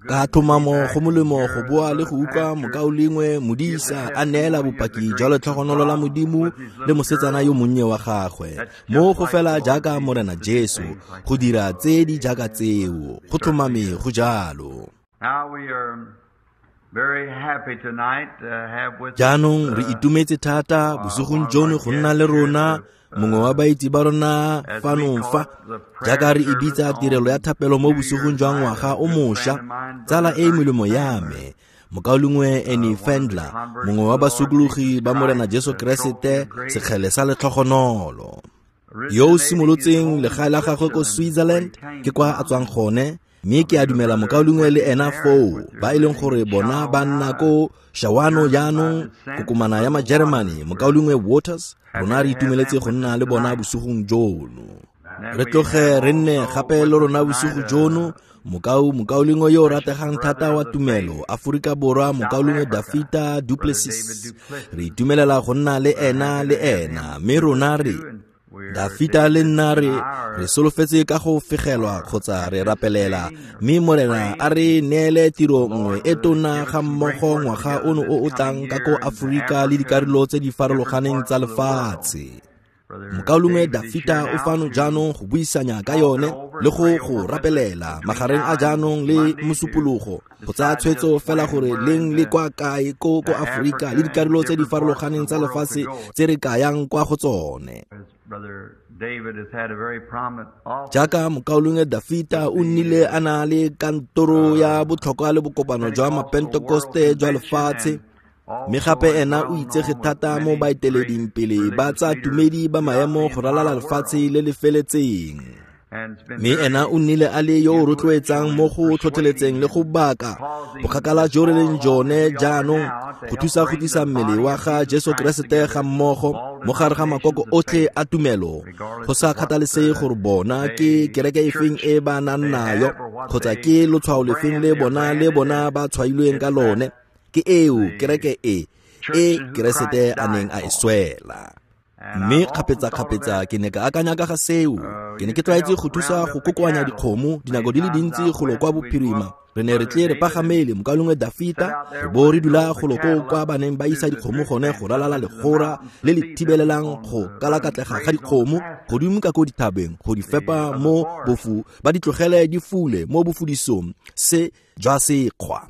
Ka tlhomamo go molemo go boa le go utlwa mokaulengwe modisa a neela bopaki jwa letlhogonolo la Modimo le mosetsana yo monnye wa gagwe. Mo go fela jaaka Morena Jesu, go dira tse di jaaka tseo, go tlhomame go jalo. Jaanong re itumetse thata bosigong jono go nna le rona mongwe wa baitse ba rona fano fa, jaaka re e bitsa tirelo ya thapelo mo bosigong jwa ngwaga o mošwa, tsala e e melemo ya me, mokaulengwe Ernie Fandler, mongwe wa basokologi ba Morena Jesu Keresete, sekgele sa letlhogonolo, yo o simolotseng legae la gagwe ko Switzerland, ke kwa a tswang gone, mme ke a dumela mokaulengwe le ena foo, ba e leng gore bona ba nna ko Shawano jaanong, kokomana ya Majeremane, mokaulengwe Waters, rona re itumeletse go nna le bona bosigong jono. Re tloge re nne gape le rona bosigo jono, mokaulengwe yo o rategang thata wa tumelo, Aforika Borwa, mokaulengwe Dafita Duplessis. Re itumelela go nna le ena le ena, mme rona re Dafita le nna re solofetse ka go fegelwa kgotsa re rapelela, mme Morena a re neele tiro nngwe e tona ga mmogo ngwaga ono o o tlang ka ko Aforika le dikarolo tse di farologaneng tsa lefatshe. Mokaulengwe Dafita o fano jaanong go buisanya ka yone le go rapelela magareng a jaanong le mosupologo, go tsaya tshwetso fela gore leng le kwa kae ko Aforika le dikarolo tse di farologaneng tsa lefatshe tse re kayang kwa go tsone. Jaaka mokaulengwe Dafita o nnile a na le kantoro ya botlhokwa le bokopano jwa Mapentekoste jwa lefatshe, mme gape ena o itsege thata mo baeteleding pele ba tsa tumedi ba maemo go ralala lefatshe le le feletseng. Mme ena o nnile a le yo o rotloetsang mo go tlhotlheletseng le go baka bokgakala jo re leng jone jaanong go thusa go tlisa mmele wa ga Jesu Keresete ga mmogo mo gare ga makoko otlhe a tumelo, go sa kgathalesege gore bona ke kereke efeng e ba nang nayo kgotsa ke lotshwao lefeng le bona ba tshwailweng ka lone. Ke eo kereke e Keresete a neng a e swela. Mme kgapetsa-kgapetsa ke ne ka akanya ka ga seo. Ke ne ke tlwaetse go thusa go kokoanya dikgomo dinako di le dintsi golo kwa bophirima. Re ne re tle re pagamele mokaulengwe Dafita, re bo re dula golo koo kwa ba neng ba isa dikgomo gone go ralala legora le le thibelelang go kalakatlega ga dikgomo godimo ka ko dithabeng go di fepa mo bofu, ba di tlogele di fule mo bofudisong se jwa sekgwa.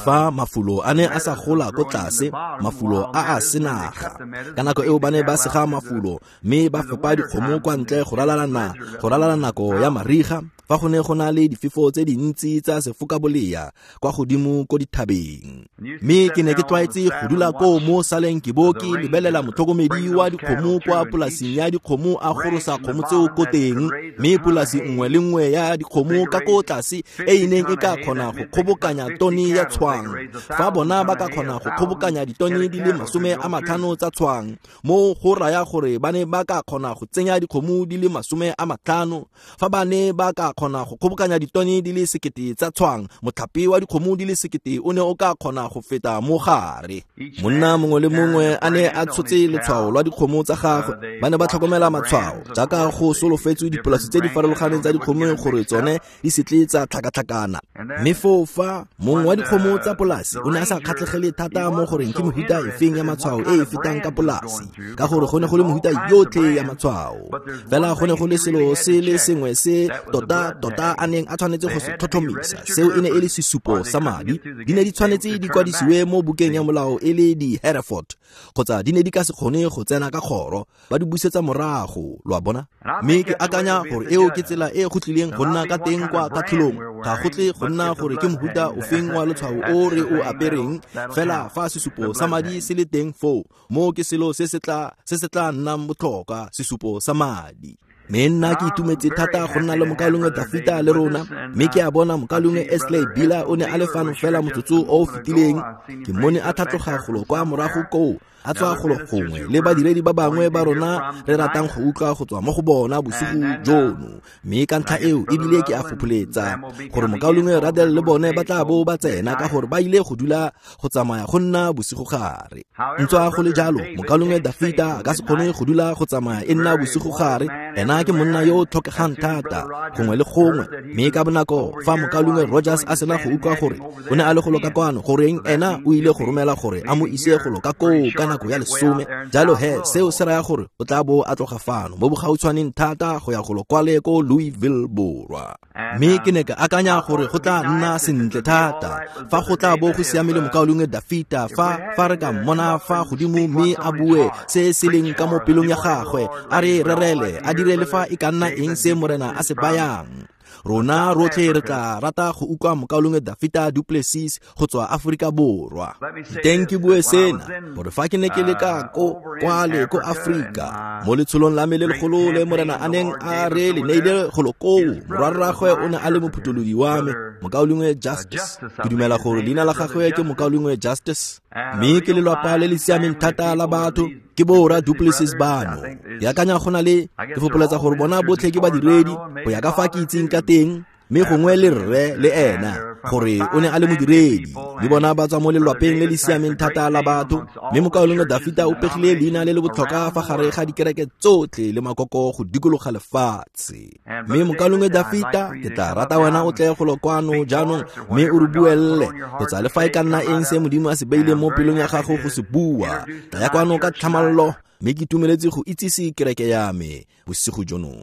Fa mafulo a ne a sa gola ko tlase, mafulo a a senaga. Ka nako eo ba ne ba sega mafulo mme ba fepa dikgomo kwa ntle go ralala nako ya mariga, fa go ne go na le difefo tse dintsi tsa sefokabolea kwa godimo ko dithabeng. Mme ke ne ke tlwaetse go dula koo mo saleng ke bo ke lebelela motlhokomedi wa dikgomo kwa polasing ya dikgomo a gorosa kgomo tseo ko teng, mme polasi nngwe le nngwe ya dikgomo ka ko tlase e e neng e ka kgona go kgobokanya tone ya tshwang. Fa bona ba ka kgona go kgobokanya ditone di le 50 tsa tshwang, mo go raya gore ba ne ba ka kgona go tsenya dikgomo di le 50. Fa ba ne ba ka kgona go kgobokanya ditone di le 1000 tsa tshwang, motlhape wa dikgomo di le 1000 o ne o ka kgona go feta mo gare. Monna mongwe le mongwe a ne a tshotse letshwao lwa dikgomo tsa gagwe. Ba ne ba tlhokomela matshwao jaaka go solofetswe dipolasi tse di farologaneng tsa dikgomo gore tsone di se tle tsa tlhakatlhakana. Mme foo fa mongwe wa dikgomo tsa polasi o ne a sa kgatlhegele thata mo goreng ke mehuta efeng ya matshwao e e fetang ka polasi, ka gore go ne go le mehuta yotlhe ya matshwao. Fela go ne go le selo se le sengwe se tota-tota a neng a tshwanetse go se tlhotlhomisa, seo e ne e le sesupo sa madi. Di ne di tshwanetse di kwadisiwe mo bukeng ya molao e le di Hereford, kgotsa di ne di ka se kgone go tsena ka kgoro, ba di busetsa morago, lo a bona. Mme ke akanya gore eo ke tsela e go tlileng go nna ka teng kwa katlholong. Ga go tle go nna gore ke mohuta ofeng wa letshwao o re o apereng, fela fa sesupo sa madi se le teng foo, mo ke selo se se tla nnang botlhokwa, sesupo sa madi. Mme nna ke itumetse thata go nna le mokaulengwe Dafita le rona, mme ke a bona mokaulengwe Esley Bila o ne a le fano fela motsotso o o fetileng. Ke mmone a tlhatloga golo kwa morago koo, a tswa golo gongwe le badiredi ba bangwe ba rona re ratang go utlwa go tswa mo go bona bosigo jono. Mme ka ntlha eo ebile ke a fopholetsa gore mokaulengwe Ruddell le bone ba tla bo ba tsena ka gore ba ile go dula go tsamaya go nna bosigo gare. Ntswa go le jalo, mokaulengwe Dafita a ka se kgone go dula go tsamaya e nna bosigo gare. Ena ke monna yo o tlhokegang thata gongwe le gongwe. Mme ka bonako fa mokaulengwe Rogers a sena go utlwa gore o ne a le golo ka kwano, goreng ena o ile go romela gore a mo ise golo ka koo ka nako ya 10. Jalo he seo se raya gore o tla bo a tloga fano mo bogautshwaneng thata go ya golo kwale ko Louisville Borwa. Mme ke ne ka akanya gore go tla nna sentle thata fa go tla bo go siame le mokaulengwe Dafita fa re ka mmona fa godimo mme a bue se se leng ka mo pelong ya gagwe, a re rerele, a dire le fa e ka nna eng se Morena a se bayang. Rona rotlhe re tla rata go utlwa mokaulengwe Dafita du Plessis go tswa Aforika Borwa. Teng ke bue sena gore fa ke ne ke le ka ko kwale ko Afrika mo letsholong la me le legolo le Morena a neng a re le neile golo koo, morwarragwe o ne a le mophutholodi wa me, mokaulengwe Justice. Ke dumela gore leina la gagwe ke mokaulengwe Justice, mme ke lelwapa le le siameng thata la batho, ke borra du Plessis bano. Ke akanya go na le, ke fopholetsa gore bona botlhe ke badiredi go ya ka fa ke itseng ka teng, mme gongwe le rre le ena gore o ne a le modiredi. Le bona ba tswa mo lelwapeng le le siameng thata la batho, mme mokaulengwe Dafita o pegile leina le le botlhokwa fa gare ga dikereke tsotlhe le makoko go dikologa lefatshe. Mme mokaulengwe Dafita, ke tla rata wena o tle golo kwano jaanong mme o re buelle kgotsa le fa e ka nna eng se Modimo a se beileng mo pelong ya gago go se bua. Tlaya kwano ka tlhamallo, mme ke itumeletse go itsise kereke ya me bosigo jono.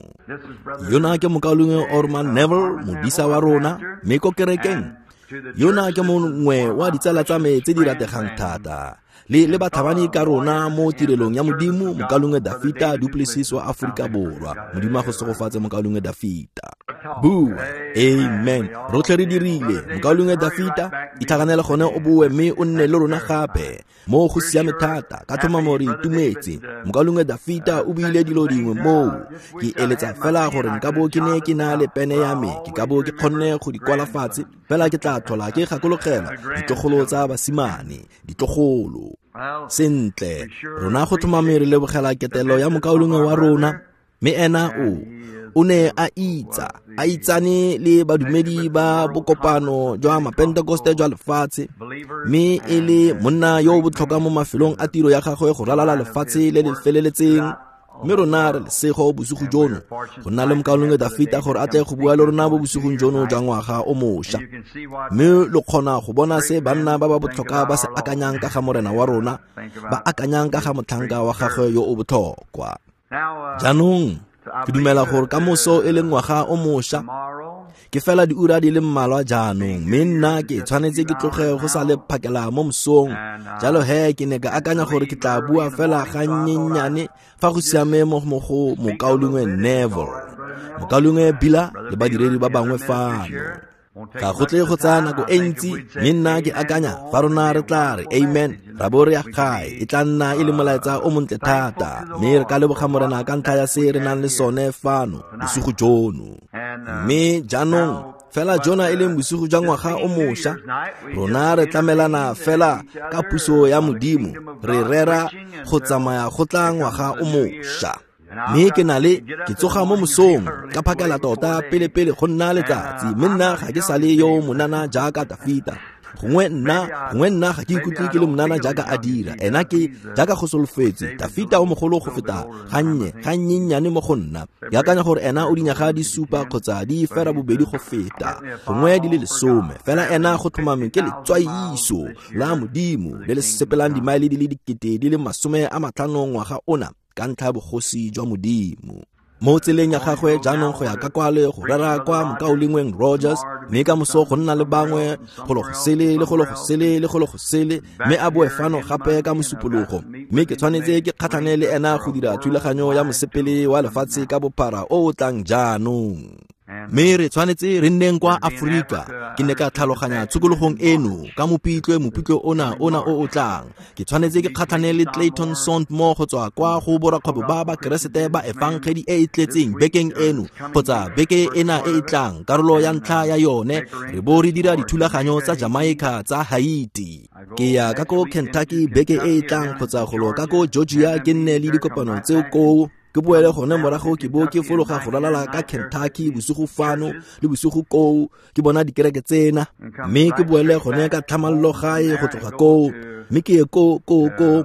Yona ke mokaulengwe Orman Neville, modisa wa rona, mme ko kerekeng yona ke mongwe wa ditsala tsa me tse di rategang thata le batlhabani ka rona mo tirelong ya Modimo, mokaulengwe Dafita du Plessis wa Aforika Borwa. Modimo a go segofatse mokaulengwe Dafita. Bua amen. Rotlhe re dirile. Mokaulengwe Dafita, itlhaganele gone o boe mme o nne le rona gape. Mo go siame thata, ka tlhomamo re itumetse. Mokaulengwe Dafita o buile dilo dingwe moo. Ke eletsa fela gore nka bo ke ne ke na le pene ya me, ke ka bo ke kgonne go di kwala fatshe, fela ke tla tlhola ke gakologela ditlogolo tsa basimane, ditlogolo. Sentle, rona go tlhomame re lebogela ketelo ya mokaulengwe wa rona, mme ena o ne a itsane le badumedi ba bokopano jwa Mapentekoste jwa lefatshe, mme e le monna yo o botlhokwa mo mafelong a tiro ya gagwe go ralala lefatshe le le feleletseng. Mme rona re lesego bosigo jono go nna le mokaulengwe Dafita gore a tle go bua le rona mo bosigong jono jwa ngwaga o mošwa. Mme lo kgona go bona se banna ba ba botlhokwa ba se akanyang ka ga Morena wa rona, ba akanyang ka ga motlhanka wa gagwe yo o botlhokwa. Jaanong ke dumela gore ka moso e le ngwaga o mošwa, ke fela diura di le mmalwa jaanong, mme nna ke tshwanetse ke tloge go sa le phakela mo mosong. Jalo he ke ne ka akanya gore ke tla bua fela gannyenyane fa go siame mo go mokaulengwe Neville, mokaulengwe Bila le badiredi ba bangwe fano. Ga go tle go tsaya nako e ntsi, mme nna ke akanya fa rona re tla re amen ra bo re ya gae, e tla nna e le molaetsa o montle thata, mme re ka leboga Morena ka ntlha ya se re nang le sone fano bosigo jono. Mme jaanong fela jona e leng bosigo jwa ngwaga o mošwa, rona re tlamelana fela ka puso ya Modimo, re rera go tsamaya go tla ngwaga o mošwa. Mme ke na le ke tsoga mo mosong ka phakela tota pele go nna letsatsi, mme nna ga ke sale yo monana jaaka Dafita. Gongwe nna ga ke ikutlwe ke le monana jaaka a dira. Ena ke jaaka go solofetse, Dafita o mogolo go feta gannyennyane mo go nna. Ke akanya gore ena o dinyaga di 7 kgotsa di 8 go feta, gongwe di le 10. Fela ena go tlhomame ke letswaiso la Modimo le le sepelang dimaele di le 50,000 ngwaga ona ka ntlha ya bogosi jwa Modimo. Mo tseleng ya gagwe jaanong go ya ka kwale go rera kwa mokaulengweng Rogers, mme ka moso go nna le bangwe golo go sele le golo go sele le golo go sele, mme a boe fano gape ka mosupologo. Mme ke tshwanetse ke kgatlhane le ena go dira thulaganyo ya mosepele wa lefatshe ka bophara o o tlang jaanong. Mme re tshwanetse re nneng kwa Aforika. Ke ne ka tlhaloganya tshokologong eno ka Mopitlwe ona o o tlang. Ke tshwanetse ke kgatlhane le Clayton Sondmore go tswa kwa go borakgwebo ba Bakeresete ba Efangedi e e tletseng bekeng eno kgotsa beke ena e e tlang, karolo ya ntlha ya yone, re bo re dira dithulaganyo tsa Jamaica tsa Haiti. Ke ya ka ko Kentucky beke e e tlang kgotsa golo ka ko Georgia, ke nne le dikopano tseo koo. Ke boele gone morago ke bo ke fologa go ralala ka Kentucky bosigo fano le bosigo koo, ke bona dikereke tsena, mme ke boele gone ka tlhamallo gae go tloga koo, mme ke ye ko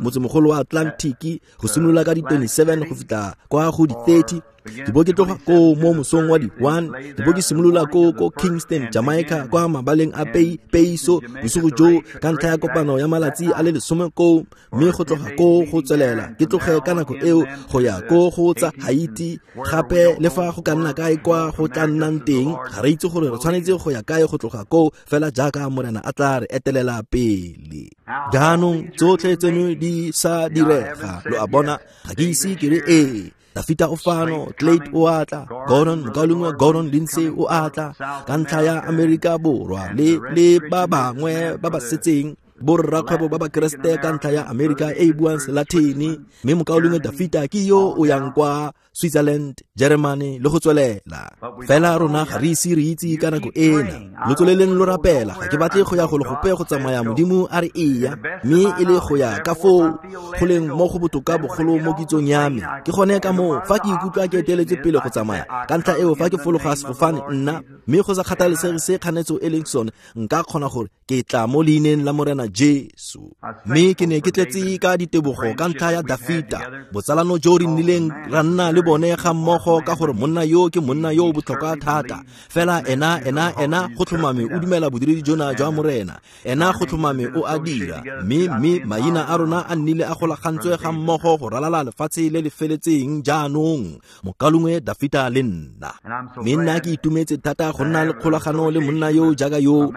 motsemogolo wa Atlantic go simolola ka di 27 go fitlha kwa go di 30. Ke bo ke tloga koo mo mosong wa di 1, ke bo ke simolola ko Kingston, Jamaica, kwa mabaleng a Peiso bosigo jo ka ntlha ya kopano ya malatsi a le 10 koo, mme go tloga koo go tswelela ke tloge ka nako eo go ya ko go tsa Haiti gape. Le fa go ka nna kae kwa go tla nnang teng, ga re itse gore re tshwanetse go ya kae go tloga koo, fela jaaka Morena a tla re etelela pele. Jaanong tsotlhe tseno di sa direga, lo a bona, ga ke ise ke re ee. Dafita o fano, Clayt o atla, Gordon, mokaulengwe Gordon Lindsay o atla ka ntlha ya Amerika Borwa le ba bangwe ba ba setseng, borrakgwebo ba Bakeresete ka ntlha ya Amerika e e buang Selatini, mme mokaulengwe Dafita ke yo o yang kwa Switzerland, Germany le go tswelela. Fela rona ga re ise re itse ka nako ena. Lo tsweleleng lo rapela, ga ke batle go ya go le gope go tsamaya Modimo a re eya, mme e le go ya ka foo go leng mo go botoka bogolo mo kitsong ya me. Ke gone ka moo fa ke ikutlwa ke eteletse pele go tsamaya, ka ntlha eo fa ke fologa sefofane nna, mme go sa kgathalesege se kganetso e leng sone, nka kgona gore ke tla mo leineng la Morena Jesu. Mme ke ne ke tletse ka ditebogo ka ntlha ya Dafita, botsalano jo re nnileng ra nna le bone ga mmogo, ka gore monna yo ke monna yo o botlhokwa thata. Fela ena go tlhomame o dumela bodiredi jona jwa Morena, ena go tlhomame o a dira, mme maina a rona a nnile a golagantswe ga mmogo go ralala lefatshe le le feletseng jaanong, mokaulengwe Dafita le nna. Mme nna ke itumetse thata go nna le kgolagano le monna yo jaaka yo.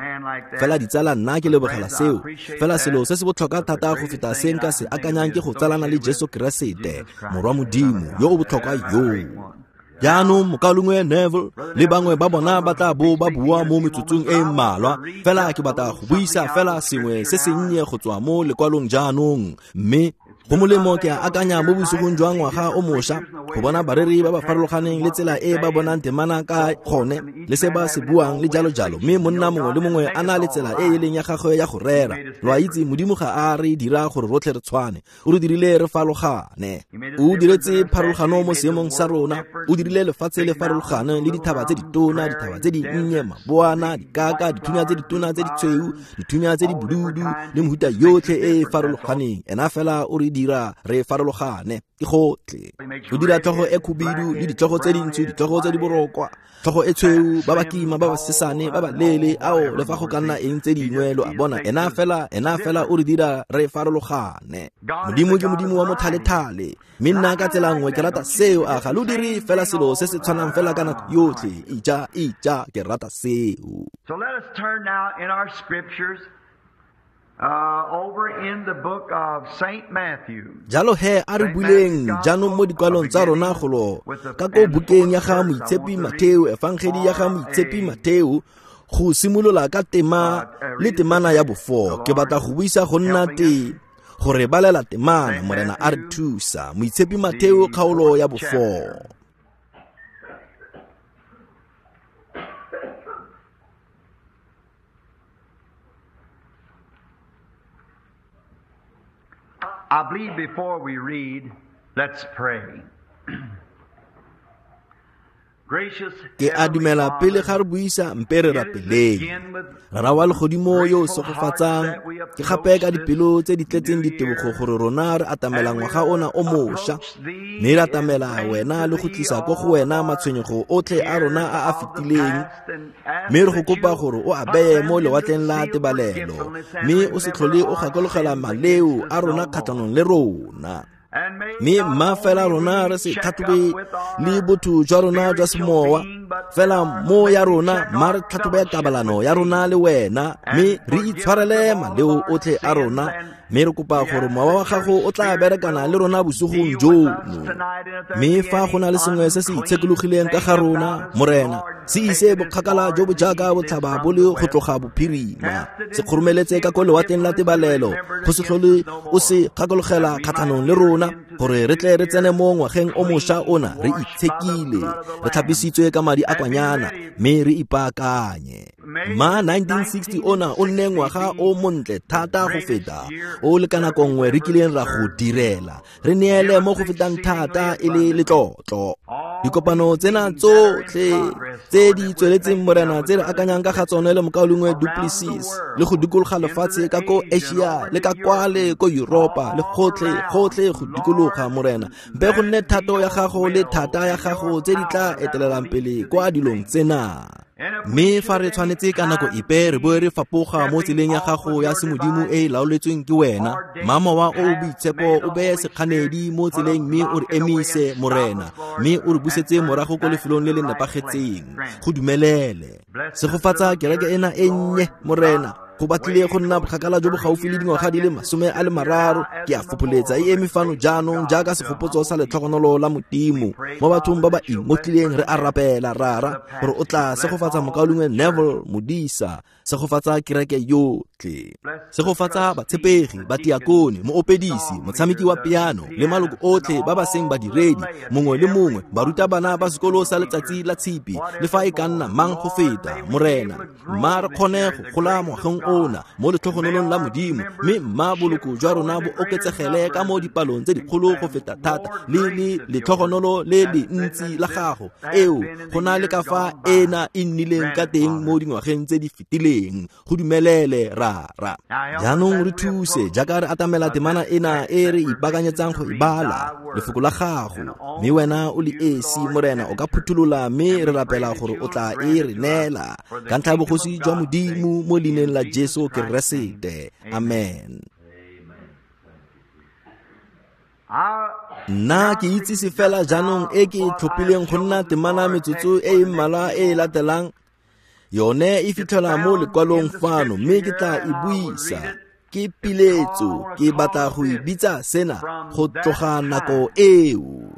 Fela ditsala, nna ke lebogela seo. Fela selo se se botlhokwa thata go feta se nka se akanyang ke go tsalana le Jesu Keresete, Morwa Modimo yo o botlhokwa yo. Jaanong mokaulengwe Neville le bangwe ba bona ba tla bo ba bua mo metsotsong e mmalwa, fela ke batla go buisa fela sengwe se sennye go tswa mo lekwalong jaanong. Mme go molemo ke a akanya mo bosigong jwa ngwaga o mošwa go bona bareri ba ba farologaneng le tsela e ba bonang temana ka gone le se ba se buang le jalo jalo, mme monna mongwe le mongwe a na le tsela e e leng ya gagwe ya go rera. Lo a itse, Modimo ga a re dira gore rotlhe re tshwane, o re dirile re farologane. O diretse pharologano mo seemong sa rona, o dirile lefatshe le farologane le dithaba tse ditona, dithaba tse dinnye, maboana, dikaka, dithunya tse ditona tse ditshweu, dithunya tse di bodudu le mehuta yotlhe e e farologaneng. Ena fela o re dira re farologane, ke gotlhe. O dira tlhogo e khubidu le ditlhogo tse dintsho, ditlhogo tse di borokwa, tlhogo e tshweu, ba ba kima, ba ba sesane, ba ba leele, ao le fa go ka nna eng tse dingwe, lo a bona. Ena fela o re dira re farologane. Modimo ke Modimo wa mothalethale, mme nna ka tsela nngwe ke rata seo. A ga lo dire fela selo se se tshwanang fela ka nako yotlhe? Ija, ke rata seo. So let us turn now in our scriptures over in the book of St. Matthew. Jalo he a re buleng jaanong mo dikwalong tsa rona golo ka ko bukeng ya ga Moitshepi Matheo, Efangedi ya ga Moitshepi Matheo, go simolola ka tema le temana ya bo-4. Ke batla go buisa go nna te gore balela temana, Morena a re thusa. Moitshepi Matheo kgaolo ya bo-4. I believe before we read, let's pray. Gracious Ke a dumela pele ga re buisa, mpe re rapeleng. Rara wa legodimo yo o segofatsang, ke gape ka dipelo tse di tletseng ditebogo gore rona re atamela ngwaga ona o mošwa, mme re atamela wena le go tlisa ko go wena matshwenyego otlhe a rona a a fetileng, mme re go kopa gore o a beye mo lewatleng la tebalelo, mme o se tlhole o gakologela maleo a rona kgatlhanong le rona. Mme mma fela rona re se tlhatlhobe le botho jwa rona jwa semowa, fela mo ya rona mma re tlhatlhobe kabalano ya rona le wena, mme re itshwarele maleo otlhe a rona, Mme re kopa gore mowa wa gago o tla berekana le rona bosigong jono. Mme fa go na le sengwe se se itshekologileng ka ga rona, Morena, se ise bokgakala jo bo jaaka botlhaba bo le go tloga bophirima, se kgoromeletse ka ko lewatleng la tebalelo, go se tlhole o se gakologela kgatlhanong le rona, gore re tle re tsene mo ngwageng o mošwa ona re itshekile, re tlhapisitswe ka madi a kwanyana, mme re ipaakanye. Ma 1960 ona o nne ngwaga o montle thata go feta o le ka nako nngwe re kileng ra go direla, re neele mo go fetang thata e le letlotlo. Dikopano tsena tsotlhe tse di tsweletseng, Morena, tse re akanyang ka ga tsone le mokaulengwe Duplessis, le go dikologa lefatshe ka ko Asia le ka kwale ko Europa le gotlhe gotlhe go dikologa, Morena, mpe go nne thato ya gago le thata ya gago tse di tla etelelang pele kwa dilong tsena. Mme fa re tshwanetse ka nako epe re boe re fapoga mo tseleng ya gago ya semodimo e e laoletsweng ke wena, mma mowa o o boitshepo o beye sekganedi mo tseleng mme o re emise, Morena, mme o re busetse morago ko lefelong le le nepagetseng. Go dumelele. Segofatsa kereke ena e nnye, Morena. Go batlile go nna bokgakala jo bo gaufi le dingwaga di le 30, ke a fopholetsa, e eme fano jaanong jaaka segopotso sa letlhogonolo la Modimo mo bathong ba ba ingotlileng. Re a rapela, Rara, gore o tla segofatsa mokaulengwe Neville Modisa, segofatsa kereke yotlhe, segofatsa batshepegi, batiakone, moopedisi, motshameki wa piano le maloko otlhe ba ba seng badiredi, mongwe le mongwe, barutabana ba sekolo sa letsatsi la tshipi, le fa e ka nna mang go feta. Morena, mma re kgone go gola ngwageng ona mo letlhogonolong la Modimo, mme mma boloko jwa rona bo oketsegele ka mo dipalong tse dikgolo go feta thata le le letlhogonolo le le ntsi la gago eo go na le ka fa ena e nnileng ka teng mo dingwageng tse di fetileng. Go dumelele, Rara. Jaanong re thuse jaaka re atamela temana ena e re ipaakanyetsang go e bala, lefoko la gago, mme wena o le esi, Morena, o ka phutholola, mme re rapela gore o tla e re neela ka ntlha ya bogosi jwa Modimo, mo leineng la Jesu Keresete, amen. Nna ke itsise fela jaanong e ke e tlhophileng go nna temana metsotso e e mmalwa e e latelang. Yone e fitlhelwa mo lekwalong fano, mme ke tla e buisa. Ke piletso, ke batla go e bitsa sena, go tloga nako eo.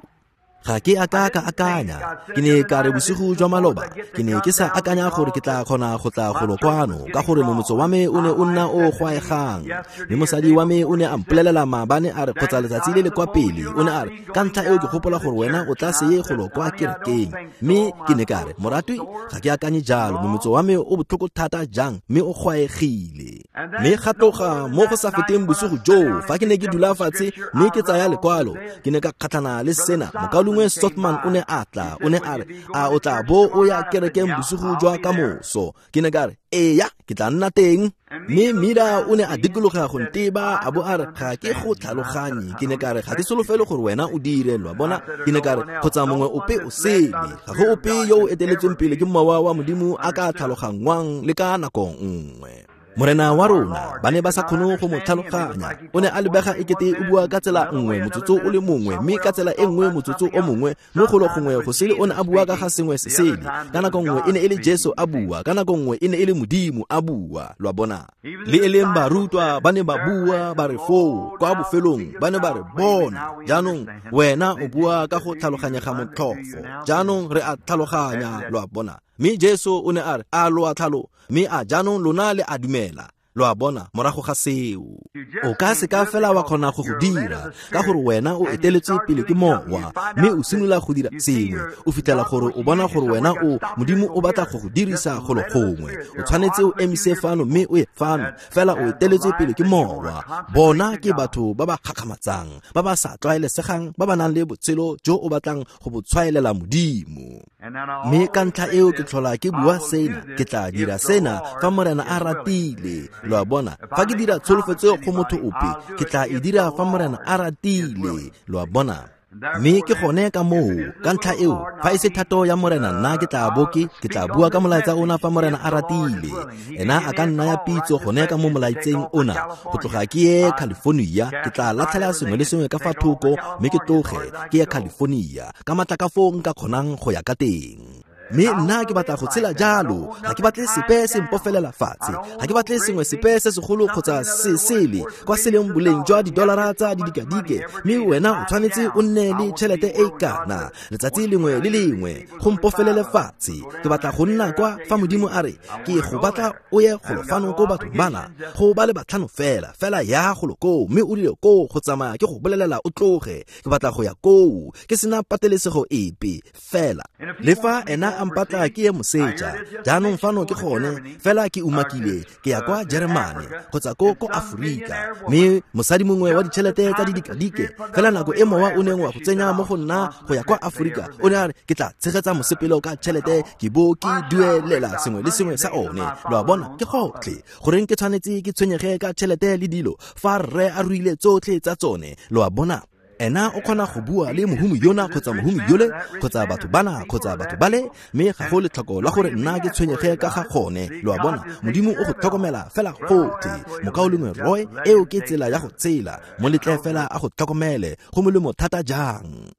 Ga ke a ka ka akanya, ke ne ka re bosigo jwa maloba, ke ne ke sa akanya gore ke tla kgona go tla golo kwano, ka gore momotso wa me o ne o nna o gwaegang. Mme mosadi wa me o ne a mpolelela maabane, a re, kgotsa letsatsi le le kwa pele, o ne a re, ka ntlha eo ke gopola gore wena o tla se ye golo kwa kerekeng. Mme ke ne ka re, moratwi, ga ke akanye jalo, momotso wa me o botlhoko thata jang mme o gwaegile. Mme ga tloga mo go sa feteng bosigo joo, fa ke ne ke dula fatshe mme ke tsaya lekwalo, ke ne ka kgatlhana le sena. Mokaulengwe Sotman o ne a tla, o ne a re, a o tla bo o ya kerekeng bosigo jwa ka moso? Ke ne ka re, eya, ke tla nna teng. Mme Mida o ne a dikologa go nteba a bo a re, ga ke go tlhaloganye. Ke ne ka re, ga ke solofele gore wena o dire, lo a bona. Ke ne ka re, kgotsa mongwe ope o sele, ga go ope yo o eteletsweng pele ke mowa wa Modimo a ka tlhaloganngwang le ka nako nngwe. Morena wa rona, ba ne ba sa kgone go mo tlhaloganya. O ne a lebega ekete o bua ka tsela nngwe motsotso o le mongwe, mme ka tsela e nngwe motsotso o mongwe, mme golo gongwe go sele o ne a bua ka ga sengwe se sele. Ka nako nngwe e ne e le Jesu a bua, ka nako nngwe e ne e le Modimo a bua, lo a bona. Le e leng barutwa ba ne ba bua ba re foo kwa bofelong, ba ne ba re, bona jaanong wena o bua ka go tlhaloganyega motlhofo, jaanong re a tlhaloganya, lo a bona. Mme Jesu o ne a re, a lo a tlhalo, mme a jaanong lona le a dumela, lo a bona. Morago ga seo o ka se ka fela wa kgona go go dira, ka gore wena o eteletswe pele ke mowa, mme o simolola go dira sengwe, o fitlhela gore o bona gore wena o Modimo o batla go go dirisa golo gongwe. O tshwanetse o emise fano mme o ye fano, fela o eteletswe pele ke mowa. Bona ke batho ba ba gakgamatsang, ba ba sa tlwaelesegang, ba ba nang le botshelo jo o batlang go bo tshwaelela Modimo. Mme ka ntlha eo ke tlhola ke bua sena, ke tla dira sena fa Morena a ratile, lo a bona. Fa ke dira tsholofetso go motho ope, ke tla e dira fa Morena a ratile, lo a bona. Mme ke gone ka moo, ka ntlha eo, fa e se thato ya Morena, nna ke tla bo ke tla bua ka molaetsa ona fa Morena a ratile. Ena a ka nna ya pitso gone ka mo molaetseng ona, go tloga ke ye California, ke tla latlhela sengwe le sengwe ka fa thoko mme ke tloge ke ye California ka matla ka foo nka kgonang go ya ka teng. Mme nna ke batla go tshela jalo. Ga ke batle sepe se mpofelela fatshe. Ga ke batle sengwe sepe se segolo kgotsa se sele kwa se leng boleng jwa didolara tsa didikadike, mme wena o tshwanetse o nne le tšhelete e kana letsatsi lengwe le lengwe go mpofelele fatshe. Ke batla go nna kwa fa Modimo a re ke go batla o ye golo fano ko bathong bana go ba le batlhano fela fela ya golo koo, mme o rile koo go tsamaya ke go bolelela o tloge. Ke batla go ya koo ke sena patelesego epe fela. Le fa ena a mpatla ke ye moseja, jaanong fano ke gone fela ke umakile ke ya kwa Jeremane kgotsa ko Aforika, mme mosadi mongwe wa ditšhelete tsa didikadike fela nako e mowa o neng wa go tsenya mo go nna go ya kwa Aforika, o ne a re ke tla tshegetsa mosepelo ka tšhelete ke bo ke duelela sengwe le sengwe sa one. Lo a bona, ke gotlhe. Goreng ke tshwanetse ke tshwenyege ka tšhelete le dilo fa rre a ruile tsotlhe tsa tsone? Lo a bona, ena o kgona go bua le mohumi yona kgotsa mohumi yole kgotsa batho bana kgotsa batho bale, mme ga go letlhoko la gore nna ke tshwenyege ka ga gone. Lo a bona, Modimo o go tlhokomela fela gotlhe. Mokaulengwe Roy, eo ke tsela ya go tsela. Mo letle fela a go tlhokomele, go molemo thata jang.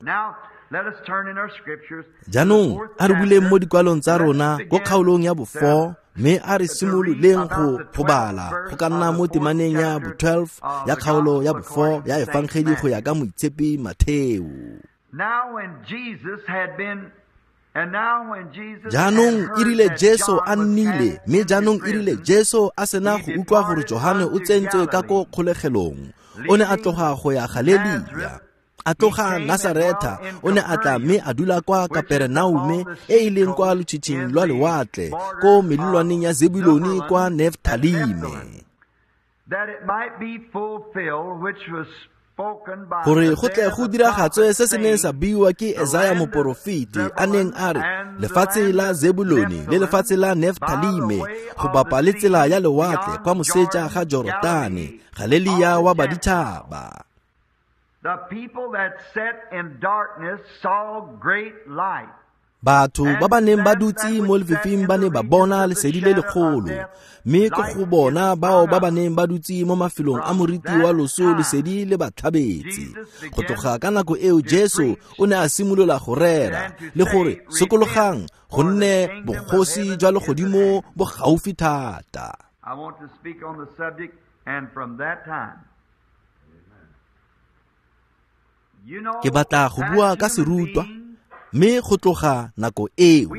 Jaanong a re buleng mo dikwalong tsa rona ko kgaolong ya bo-4, mme a re simololeng go bala go ka nna mo temaneng ya bo-12 ya kgaolo ya bo-4 ya Efangeli go ya ka Moitshepi Matheo. Jaanong e rile Jesu a nnile, mme jaanong e rile Jesu a sena go utlwa gore Johane o tsentswe ka ko kgolegelong, o ne a tloga go ya Galelia. A tloga Nasaretha, o ne a tla mme a dula kwa Kaperenaume e e leng kwa lotshitshing lwa lewatle, ko melelwaneng ya Zebulone kwa Neftalime, gore go tle go diragatswe se se neng sa buiwa ke Esaya moporofeti, a neng a re lefatshe la Zebulone le lefatshe la Neftalime go bapa le tsela ya lewatle kwa moseja ga Jorodane, Galelia wa baditšhaba. The people that sat in darkness saw great light. Batho ba ba neng ba dutse mo lefifing ba ne ba bona lesedi le legolo, mme ke go bona bao ba ba neng ba dutse mo mafelong a moriti wa loso lesedi le ba tlhabetse. Go tloga ka nako eo Jesu o ne a simolola go rera le gore sokologang, gonne bogosi jwa legodimo bo gaufi thata. I want to speak on the subject, and from that time. Ke batla go bua ka serutwa, mme go tloga nako eo.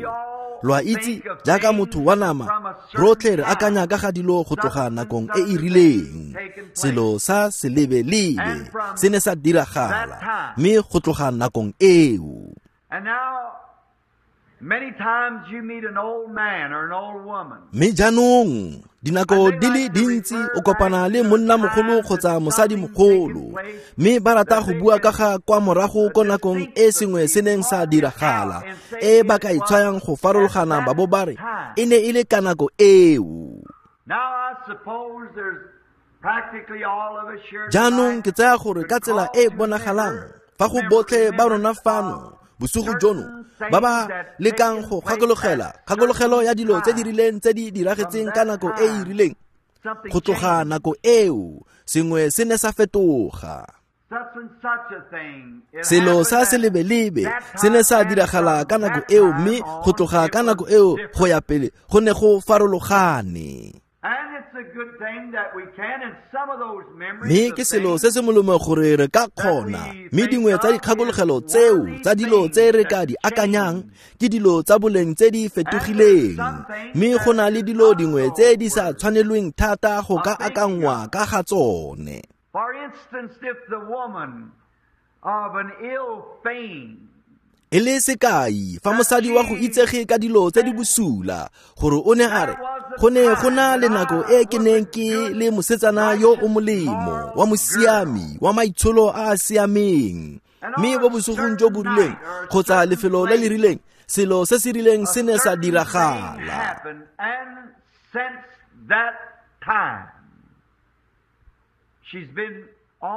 Lo a itse, jaaka motho wa nama, rotlhe re akanya ka ga dilo go tloga nakong e e rileng. Selo sa selebelebe se ne sa diragala, mme go tloga nakong eo. Mme jaanong dinako di le dintsi o kopana le monnamogolo kgotsa mosadimogolo, mme ba rata go bua ka ga kwa morago ko nakong e sengwe se neng sa diragala, e ba ka itshwayang go farologana ba bo ba re e ne e le ka nako eo. Jaanong ke tsaya gore ka tsela e bonagalang fa go botlhe ba rona fano bosigo jono ba ba lekang go gakologela kgakologelo ya dilo tse di rileng tse di diragetseng ka nako e e rileng, go tloga nako eo sengwe se ne sa fetoga. Selo sa selebelebe se ne sa diragala ka nako eo, mme go tloga ka nako eo go ya pele go ne go farologane. Mme ke selo se se molemo gore re ka kgona, mme dingwe tsa dikgakologelo tseo tsa dilo tse re ka di akanyang ke dilo tsa boleng tse di fetogileng, mme go na le dilo dingwe tse di sa tshwanelweng thata go ka akangwa ka ga tsone. E le sekai, fa mosadi wa go itsege ka dilo tse di bosula, gore o ne a re go ne go na le nako e ke neng ke le mosetsana yo o molemo, wa mosiami, wa maitsholo a a siameng, mme bo bosigong jo bo rileng kgotsa lefelo le le rileng, selo se se rileng se ne sa diragala.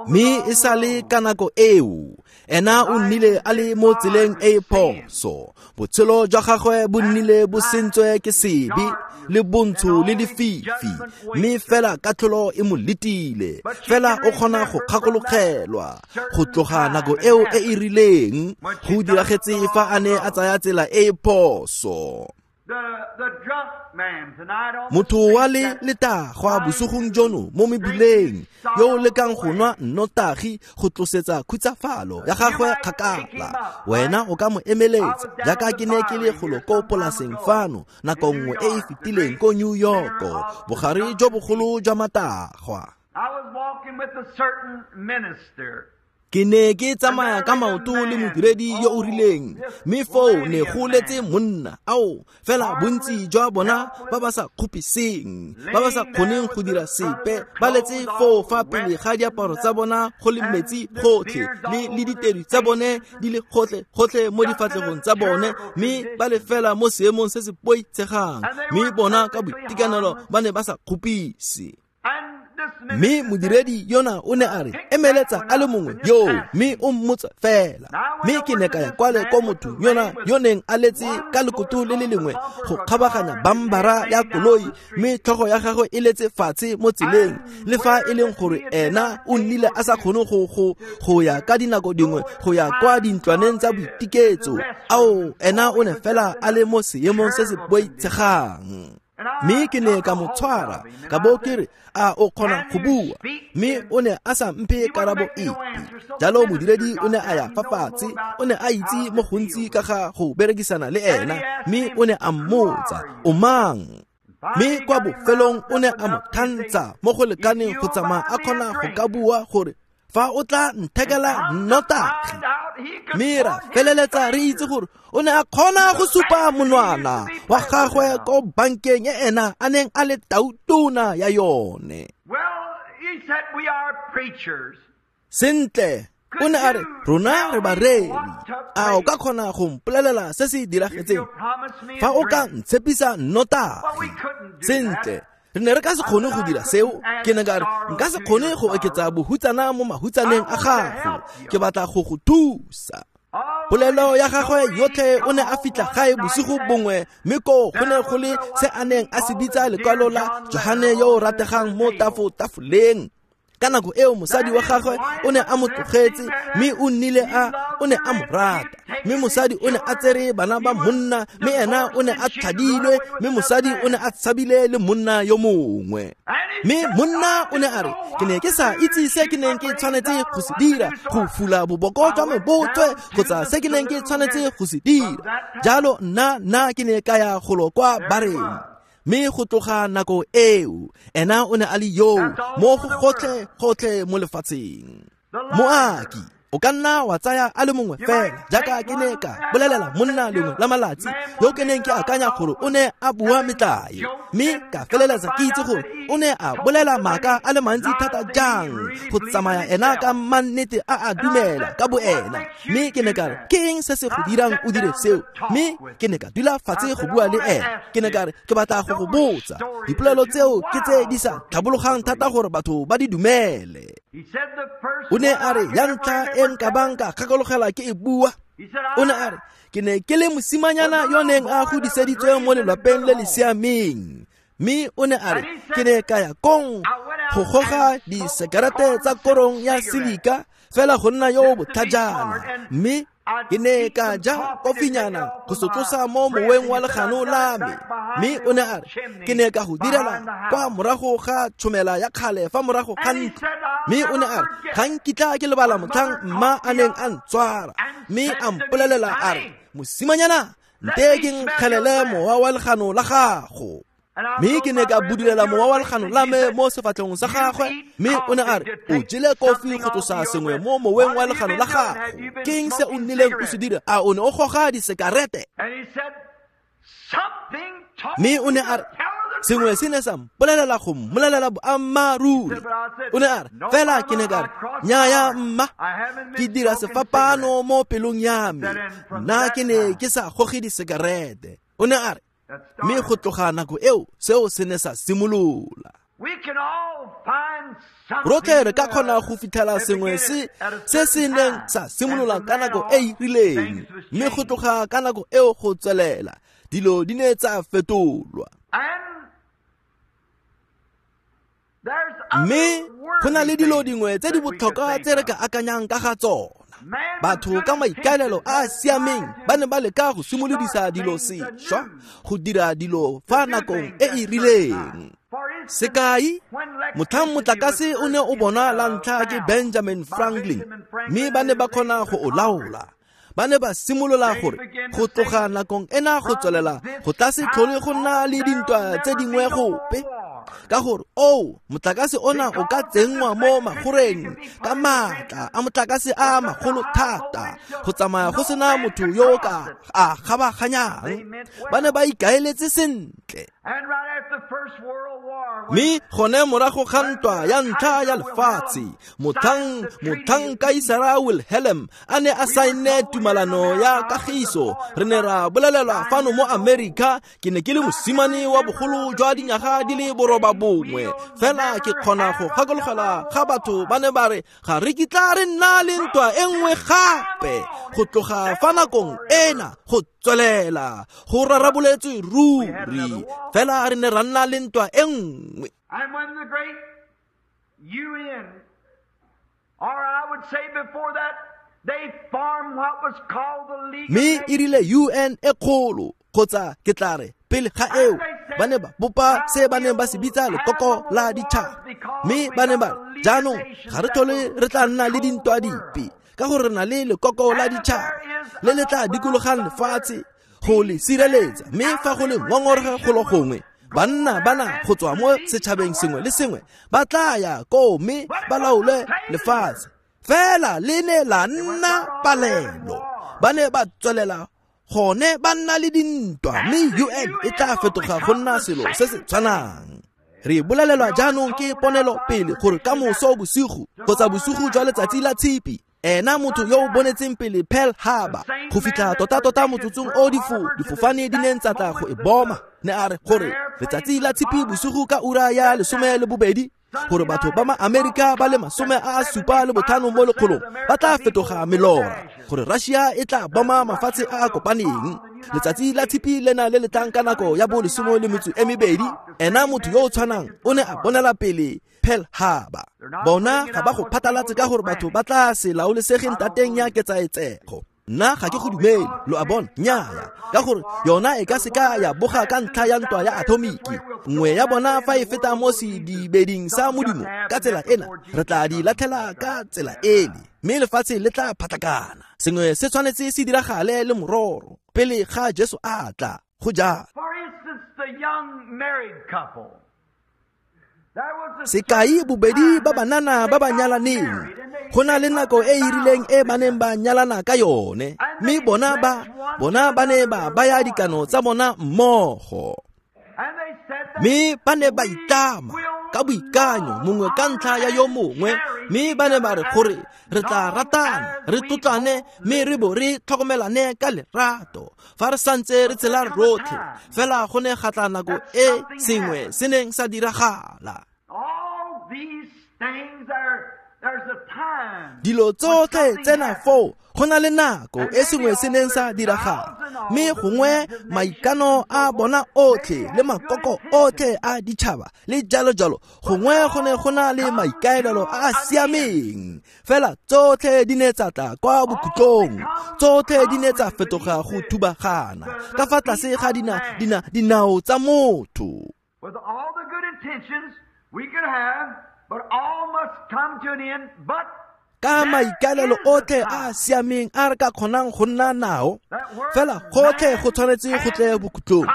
Mme e sale ka nako eo, ena o nnile a le mo tseleng e e phoso. Botshelo jwa gagwe bo nnile bo sentswe ke sebe le bontsho le lefifi, mme fela katlholo e mo letile. Fela o kgona go kgakologelwa go tloga nako eo e e rileng go diragetse fa a ne a tsaya tsela e e phoso. Motho wa le letagwa bosigong jono mo mebileng yo o lekang go nwa nnotagi go tlosetsa khutsafalo ya gagwe kgakala, wena o ka mo emeletsa jaaka ke ne ke le golo ko polaseng fano nako nngwe e e fetileng ko New York, bogare jo bogolo jwa matagwa. Ke ne ke tsamaya ka maoto le modiredi yo o rileng, mme foo ne go letse monna, ao fela bontsi jwa bona ba ba sa kgopiseng, ba ba sa kgoneng go dira sepe, ba letse foo fa pele ga diaparo tsa bona go le metsi gotlhe, le ditedu tsa bone di le gotlhe gotlhe mo difatlhegong tsa bone, mme ba le fela mo seemong se se boitshegang, mme bona ka boitekanelo ba ne ba sa kgopise. Mme modiredi yona o ne a re emeletsa a le mongwe yo, mme o mmotsa fela. Mme ke ne ka ya kwale ko motho yona yo neng a letse ka lekoto le le lengwe go kgabaganya bambara ya koloi, mme tlhogo ya gagwe e letse fatshe mo tseleng, le fa e leng gore ena o nnile a sa kgone go ya ka dinako dingwe go ya kwa dintlwaneng tsa boitiketso. Ao, ena o ne fela a le mo seemong se se boitshegang. Mme ke ne ka mo tshwara ka bo ke re, a o kgona go bua? Mme o ne a sa mphe karabo epe. Jalo modiredi o ne a ya fa fatshe, o ne a itse mo gontsi ka ga go berekisana le ena, mme o ne a mmotsa, o mang? Mme kwa bofelong o ne a mo thantsha mo go lekaneng go tsamaya a kgona go ka bua gore fa o tla nthekela nnotagi. Mme ra feleletsa re itse gore o ne a kgona go supa monwana wa gagwe ko bankeng e ena a neng a le tautona ya yone. Sentle, o ne a re, rona re bareri. A o ka kgona go mpolelela se se diragetseng fa o ka ntshepisa nnotagi? Sentle, re ne re ka se kgone go dira seo. Ke ne ka re, nka se kgone go oketsa bohutsana mo mahutsaneng a gago, ke batla go go thusa. Polelo ya gagwe yotlhe o ne a fitlha gae bosigo bongwe, mme koo go ne go le se a neng a se bitsa lekwalo la Johane yo o rategang mo tafoleng. Ka nako eo mosadi wa gagwe o ne a mo tlogetse, mme o nnile a o ne a mo rata. Mme mosadi o ne a tsere bana ba monna, mme ena o ne a tlhadilwe, mme mosadi o ne a tshabile le monna yo mongwe. Mme monna o ne a re, ke ne ke sa itse se ke neng ke tshwanetse go se dira, go fula boboko jwa me botswe, kgotsa se ke neng ke tshwanetse go se dira. Jalo nna ke ne ka ya golo kwa bareng. Mme go tloga nako eo, ena o ne a le yo mo go gotlhe gotlhe mo lefatsheng. Moaki, o ka nna wa tsaya a le mongwe fela, jaaka ke ne ka bolelela monna lengwe la malatsi yo ke neng ke akanya gore o ne a bua metlae, mme ka feleletsa ke itse gore o ne a bolela maaka a le mantsi thata jang go tsamaya ena ka mannete a a dumela ka boena. Mme ke ne ka re, ke eng se se go dirang o dire seo? Mme ke ne ka dula fatshe go bua le ena. Ke ne ka re, ke batla go go botsa, dipolelo tseo ke tse di sa tlhabologang thata gore batho ba di dumele. O ne a re, ya ntlha e nka bang ka kgakologela ke e bua. O ne a re, ke ne ke le mosimanyana yo neng a godiseditswe mo lelapeng le le siameng. Mme o ne a re, ke ne ka ya kong go goga disekerete tsa korong ya silika fela go nna yo botlhajana, mme ke ne ka ja kofinyana go se tlosa mo moweng wa legano la me. Mme o ne a re, ke ne ka go direla kwa morago ga tšhomela ya kgale fa morago ga ntlo. Mme o ne a re, ga nkitla ke lebala motlhang mma a neng a ntswara, mme a mpolelela a re, mosimanyana, nte ke nkgelele mowa wa legano la gago. Mme ke ne ka budulela mowa wa legano la me mo sefatlhegong sa gagwe, mme o ne a re, o jele kofi go tlosa sengwe mo moweng wa legano la gago. Ke eng se o nnileng o se dira? A o ne o goga disekarete? Mme o ne a re, sengwe se ne sa mpolelela go mmolelela boammaaruri. O ne a re, fela ke ne ka re, nnyaya mma, ke dira sefapano mo pelong ya me, nna ke ne ke sa goge disekarete. O ne a re, mme go tloga nako eo seo se ne sa simolola. Rotlhe re ka kgona go fitlhela sengwe se se neng sa simolola ka nako e e rileng, mme go tloga ka nako eo go tswelela dilo di ne tsa fetolwa. Mme go na le dilo dingwe tse di botlhokwa tse re ka akanyang ka ga tsona. Batho ka maikaelelo a a siameng ba ne ba leka go simolodisa dilo sešwa, go dira dilo fa nakong e e rileng. Sekai, motlhang motlakase o ne o bonwa la ntlha ke Benjamin Franklin, mme ba ne ba kgona go o laola. Ba ne ba simolola gore go tloga nakong ena go tswelela go tla se tlhole go nna le dintwa tse dingwe gope, ka gore motlakase ona o ka tsenngwa mo magoreng ka maatla a motlakase a magolo thata go tsamaya go sena motho yo o ka a kgabaganyang. Ba ne ba ikaeletse sentle. Mme gone morago ga ntwa ya ntlha ya lefatshe, motlhang Kaisara Wilhelm a ne a saenne tumalano ya kagiso, re ne ra bolelelwa fano mo Amerika. Ke ne ke le mosimane wa bogolo jwa dinyaga di le 9, fela ke kgona go gakologelwa ga batho ba ne ba re ga re kitla re nna le ntwa e nngwe gape go tloga fa nakong ena go tswelela go raraboletswe ruri, fela re ne ra nna le ntwa e nngwe. Mme e rile UN e kgolo, kgotsa ke tla re pele ga eo, ba ne ba bopa se ba neng ba se bitsa lekoko la ditšhaba. Mme ba ne ba re jaanong ga re tlhole re tla nna le dintwa dipe, ka gore re na le lekoko la ditšhaba le le tla dikologang lefatshe go le sireletsa. Mme fa go le ngongorego golo gongwe, banna bana go tswa mo setšhabeng sengwe le sengwe ba tla ya koo mme ba laole lefatshe. Fela le ne la nna palelo. Ba ne ba tswelela gone ba nna le dintwa, mme UN e tla fetoga go nna selo se se tshwanang. Re bolelelwa jaanong ke ponelo pele gore ka moso bosigo kgotsa bosigo jwa letsatsi la Tshipi, ena motho yo o bonetseng pele Pearl Harbor go fitlha tota-tota motsotsong o difofane di neng tsa tla go e boma, ne a re gore letsatsi la Tshipi bosigo ka ura ya 12, gore batho ba ma-Amerika ba le 75 mo lekgolong ba tla fetoga melora, gore Russia e tla boma mafatshe a a kopaneng. Letsatsi la Tshipi lena le le tlang ka nako ya bo 12, ena motho yo o tshwanang o ne a bonela pele Pearl Harbor. Bona ga ba go phatlalatse ka gore batho ba tla se laolesegeng tateng ya ketsaetsego. Nna ga ke go dumele, lo a bona, nnyaya, ka gore yona e ka seka ya boga ka ntlha ya ntwa ya atomiki. Nngwe ya bona fa e feta mo sedibeding sa Modimo ka tsela ena, re tla di latlhela ka tsela ele, mme lefatshe le tla phatlakana. Sengwe se tshwanetse se diragale le mororo pele ga Jesu a tla. Go jalo. Sekai, bobedi ba banana ba ba nyalaneng, go na le nako e e rileng e ba neng ba nyalana ka yone, mme bona ba ne ba baya dikano tsa bona mmogo. Mme ba ne ba itlama ka boikanyo mongwe ka ntlha ya yo mongwe, mme ba ne ba re gore re tla ratana, re tlotlane, mme re bo re tlhokomelane ka lerato fa re santse re tshela rotlhe. Fela go ne ga tla nako e sengwe se neng sa diragala. Dilo tsotlhe tsena foo go na le nako e sengwe se neng sa diragala, mme gongwe maikano a bona otlhe le makoko otlhe a ditšhaba le jalo jalo, gongwe go ne go na le maikaelelo a a siameng. Fela tsotlhe di ne tsa tla kwa bokhutlong, tsotlhe di ne tsa fetoga go thubagana ka fa tlase ga dinao tsa motho. With all the good intentions we could have, but all must come to an end. But ka maikaelelo otlhe a a siameng a re ka kgonang go nna nao, fela gotlhe go tshwanetse go tle bokhutlong.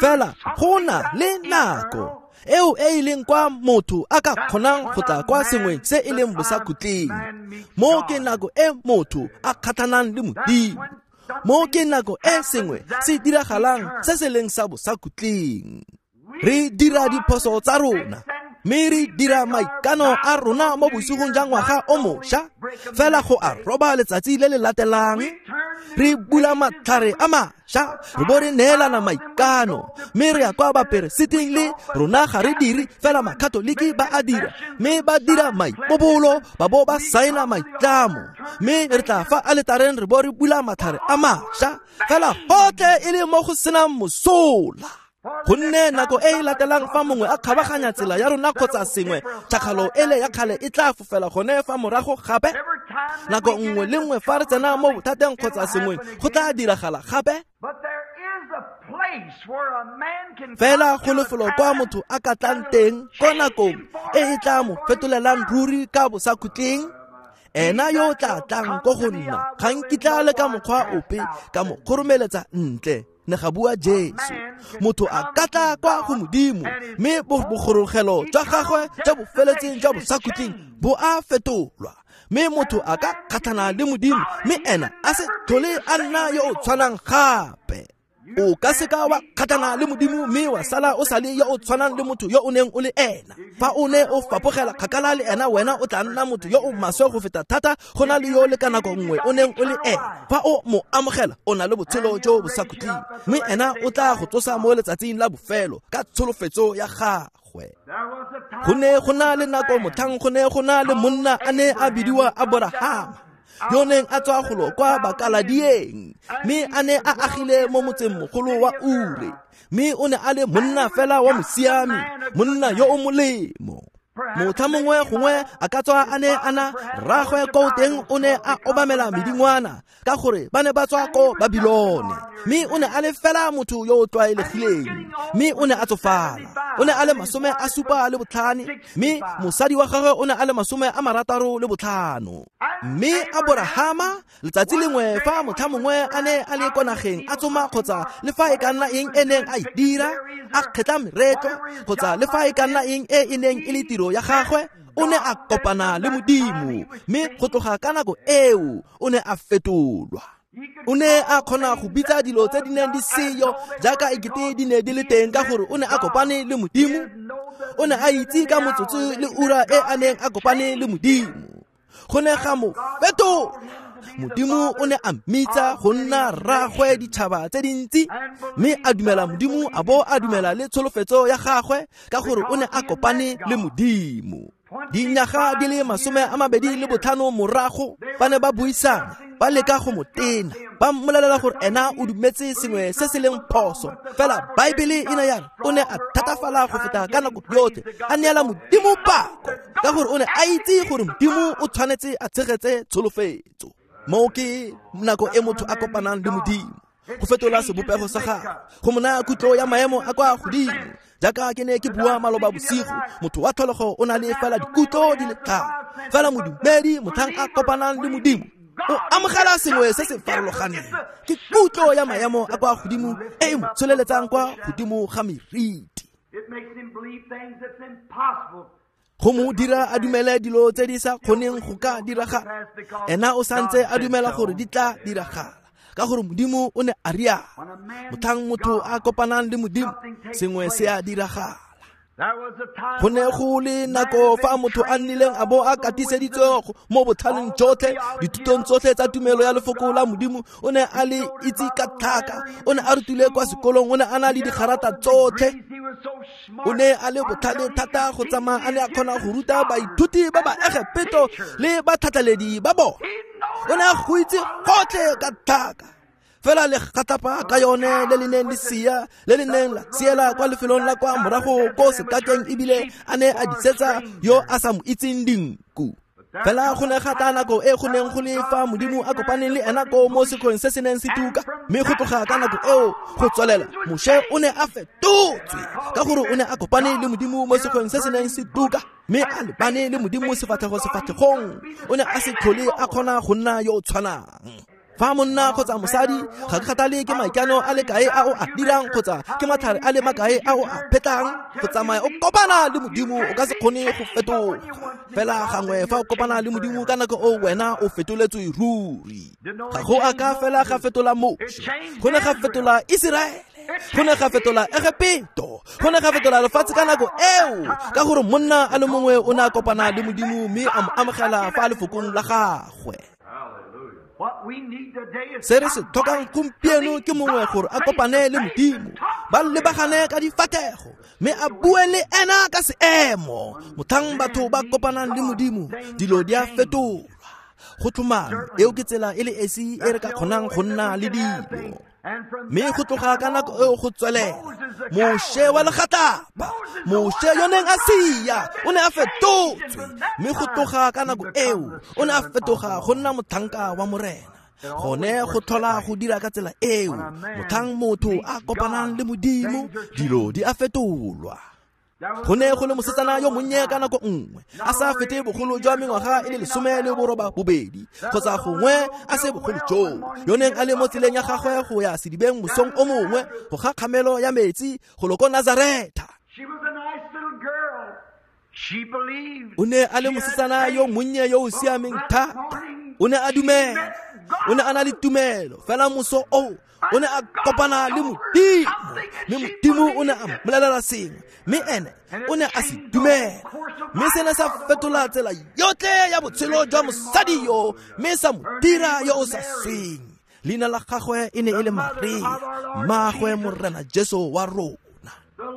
Fela go na le nako eo e e leng kwa motho a ka kgonang go tla kwa sengwe se e leng bosakhutleng. Mo ke nako e motho a kgatlhanang le Modimo. Mo ke nako e sengwe se diragalang se se leng sa bosakhutleng. Re dira diphoso tsa rona, mme re dira maikano a rona mo bosigong jwa ngwaga o mošwa, fela go a roba letsatsi le le latelang. Re bula matlhare a mašwa, mašwa re bo re neelana maikano mme re ya kwa baperesiting le rona ga re dire fela makatoliki ba a dira mme ba dira maipobolo ba bo ba saena maitlamo mme re tla fa aletareng re bo re bula matlhare a mašwa fela gotlhe e le mo go senang mosola. Gonne nako e e latelang fa mongwe a kgabaganya tsela ya rona kgotsa sengwe tšhakgalo ele ya kgale e tla fofela gone fa morago gape. Nako nngwe le nngwe fa re tsena mo bothateng kgotsa sengwe go tla diragala gape. Fela go lefelo kwa motho a ka tlang teng ko nakong e e tla mo fetolelang ruri ka bosakhutleng. Ena yo o tla tlang ko go nna ga nkitla le ka mokgwa ope ka mo kgoromeletsa ntle, ne ga bua Jesu. Motho a ka tla kwa go Modimo mme bogorogelo jwa gagwe jwa bofeletseng jwa bosakhutleng bo a fetolwa, mme motho a ka kgatlhana le Modimo mme ena a se tlhole a nna yo o tshwanang gape. O ka seka wa kgatlhana le Modimo mme wa sala o sa le yo o tshwanang le motho yo o neng o le ena. Fa o ne o fapogela kgakala le ena, wena o tla nna motho yo o maswe go feta thata go na le yo le ka nako nngwe o neng o le ena. Fa o mo amogela, o na le botshelo jo bo sa khutleng, mme ena o tla go tsosa mo letsatsing la bofelo ka tsholofetso ya gagwe. Go ne go na le nako motlhang go ne go na le monna a ne a bidiwa Aborahama, yo neng a tswa golo kwa Bakaladieng, mme a ne a agile mo motseng mogolo wa Ure, mme o ne a le monna fela wa mosiami, monna yo o molemo. Motlha mongwe gongwe a ka tswa a ne a na rraagwe ko teng o ne a obamela medingwana ka gore ba ne ba tswa ko Babilone, mme o ne a le fela motho yo o tlwaelegileng, mme o ne a tsofala. O ne a le 75, mme mosadi wa gagwe o ne a le 65. Mme Aborahama letsatsi lengwe fa motlha mongwe a ne a le kwa nageng a tsoma kgotsa le fa e ka nna eng e neng a e dira, a kgetla meretlo kgotsa le fa e ka nna eng e e neng e le tiro ya gagwe, o ne a kopana le Modimo, mme go tloga ka nako eo o ne a fetolwa. O ne a kgona go bitsa dilo tse di neng di seyo jaaka ekete di ne di le teng ka gore o ne a kopane le Modimo. O ne a itse ka motsotso le ura e a neng a kopane le Modimo. Go ne ga mo fetola. Modimo o ne a mmitsa go nna rraagwe ditšhaba tse dintsi, mme a dumela Modimo a bo a dumela le tsholofetso ya gagwe ka gore o ne a kopane le Modimo. Dinyaga di le 25 morago ba ne ba buisana, ba leka go mo tena, ba mmolelela gore ena o dumetse sengwe se se leng phoso. Fela Baebele e ne ya re o ne a thatafala go feta ka nako yotlhe, a neela Modimo pako ka gore o ne a itse gore Modimo o tshwanetse a tshegetse tsholofetso. Moo ke nako e motho a kopanang le Modimo, go fetola sebopego sa gagwe, go mo naya kutlo ya maemo a kwa godimo. Jaaka ke ne ke bua maloba bosigo, motho wa tlholego o na le fela dikutlo di le 5, fela modumedi motlhang a kopanang le Modimo o amogela sengwe se se farologaneng, ke kutlo ya maemo a kwa godimo e e mo tsholeletsang kwa godimo ga meriti. Go mo dira a dumele dilo tse di sa kgoneng go ka diragala, ena o santse a dumela gore di tla diragala ka gore Modimo o ne a rialo. Motlhang motho a kopanang le Modimo, sengwe se a diragala. Go ne go le nako fa motho a nnileng a bo a katiseditswe mo botlhaleng jotlhe, dithutong tsotlhe tsa tumelo ya lefoko la Modimo, o ne a le itse ka tlhaka, o ne a rutile kwa sekolong, o ne a na le digarata tsotlhe, o ne a le botlhale thata go tsamaya a ne a kgona go ruta baithuti ba ba Egepeto le batlhatlheledi ba bone. O ne a go itse gotlhe ka tlhaka, fela le gatlapa ka yone le le neng le sia, le le neng la siela kwa lefelong la kwa morago ko sekakeng, ebile a ne a disetsa yo a sa mo itseng dinku. Fela go ne ga tla nako e go neng go le fa Modimo a kopaneng le ena ko mo sekgweng se se neng se tuka, mme go tloga ka nako eo go tswelela Moshe o ne a fetotswe ka gore o ne a kopane le Modimo mo sekgweng se se neng se tuka, mme a lebane le Modimo sefatlhego sefatlhegong. O ne a se tlhole a kgona go nna yo o tshwanang. Fa monna kgotsa mosadi, ga ke kgathale ke maikano a le kae a o a dirang kgotsa ke matlhare a le makae a o a phetlang, go tsamaya o kopana le Modimo o ka se kgone go fetoga. Fela gangwe fa o kopana le Modimo ka nako o wena o fetoletswe ruri. Ga go a ka fela ga fetola Moshe, go ne ga fetola Iseraele, go ne ga fetola Egepeto, go ne ga fetola lefatshe ka nako eo, ka gore monna a le mongwe o ne a kopana le Modimo mme a mo amogela fa lefokong la gagwe. Se re se tlhokang gompieno ke mongwe gore a kopane le Modimo, ba lebagane ka difatlhego, mme a bue le ena ka seemo. Motlhang batho ba kopanang le Modimo, dilo di a fetolwa. Go tlhomame, eo ke tsela e le esi e re ka kgonang go nna le dilo. Mme go tloga ka nako eo go tswelela, Moshe wa legatlapa, Moshe yo neng a sia, o ne a fetotswe. Mme go tloga ka nako eo, o ne a fetoga go nna motlhanka wa Morena. Gone go tlhola go dira ka tsela eo, motlhang motho a kopanang le Modimo, dilo di a fetolwa. Go ne go le mosetsana yo monnye ka nako nngwe, a sa fete bogolo jwa mengwaga e le 18 kgotsa gongwe a se bogolo joo, yo neng a le mo tseleng ya gagwe go ya sedibeng mosong o mongwe go ga kgamelo ya metsi go lo ko Nazaretha. O ne a le mosetsana yo monnye yo o siameng thata. O ne a dumela, o ne a na le tumelo. Fela moso oo o ne a kopana le Modimo, mme Modimo o ne a mmolelela sengwe, mme ene o ne a se dumela. Mme sene sa fetola tsela yotlhe ya botshelo jwa mosadi yo, mme sa mo dira yo o sa sweng. Leina la gagwe e ne e le Maria, mmaagwe Morena Jesu wa rona.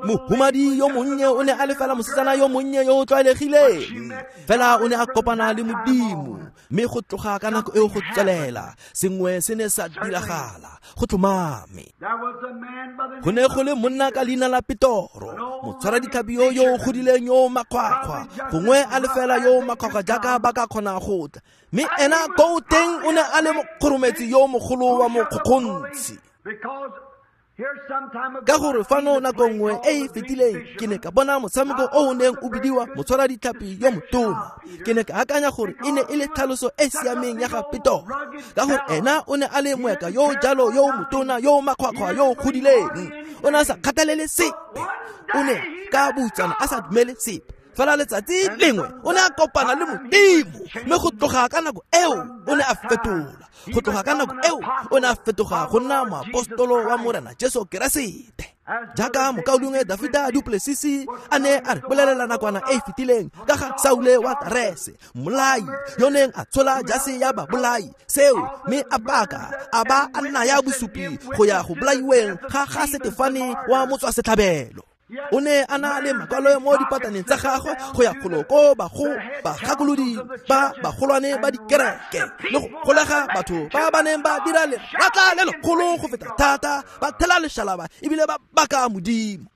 Mohumadi yo monnye o ne a le fela mosetsana yo monnye yo o tlwaelegileng, fela o ne a kopana le Modimo, mme go tloga ka nako eo go tswelela, sengwe se ne sa diragala. Go tlhomame, go ne go le monna ka leina la Petoro, motshwaraditlhapi yo yo o godileng yo o makgwakgwa, gongwe a le fela yo o makgwakgwa jaaka ba ka kgona go tla, mme ena koo teng o ne a le mokgorometsi yo mogolo wa mokgokgontshi. Ka gore fano nako nngwe e e fetileng ke ne ka bona motshameko o o neng o bidiwa motshwaraditlhapi yo motona. Ke ne ka akanya gore e ne e le tlhaloso e siameng ya ga Petoro, ka gore ena o ne a le moeka yo jalo yo motona yo makgwakgwa yo o godileng. O ne a sa kgathalele sepe, o ne ka boutsana a sa dumele sepe. Fela letsatsi lengwe o ne a kopana le Modimo, mme go tloga ka nako eo o ne a fetola. Go tloga ka nako eo o ne a fetoga go nna moapostolo wa Morena Jesu Keresete. Jaaka mokaulengwe Dafita Duplessis a ne a re bolelela nakwana e e fetileng ka ga Saule wa Tarese, mmolai yo neng a tshola jase ya babolai seo, mme a baka a ba a naya bosupi go ya go bolaiweng ga ga Setefane wa motswasetlhabelo. O ne a na le makwalo mo dipataneng tsa gagwe go ya golo ko bagakolodi ba bagolwane ba dikereke, le go golega batho ba ba neng ba dira leratla le legolo go feta thata, ba thela lešalaba ebile ba baka Modimo.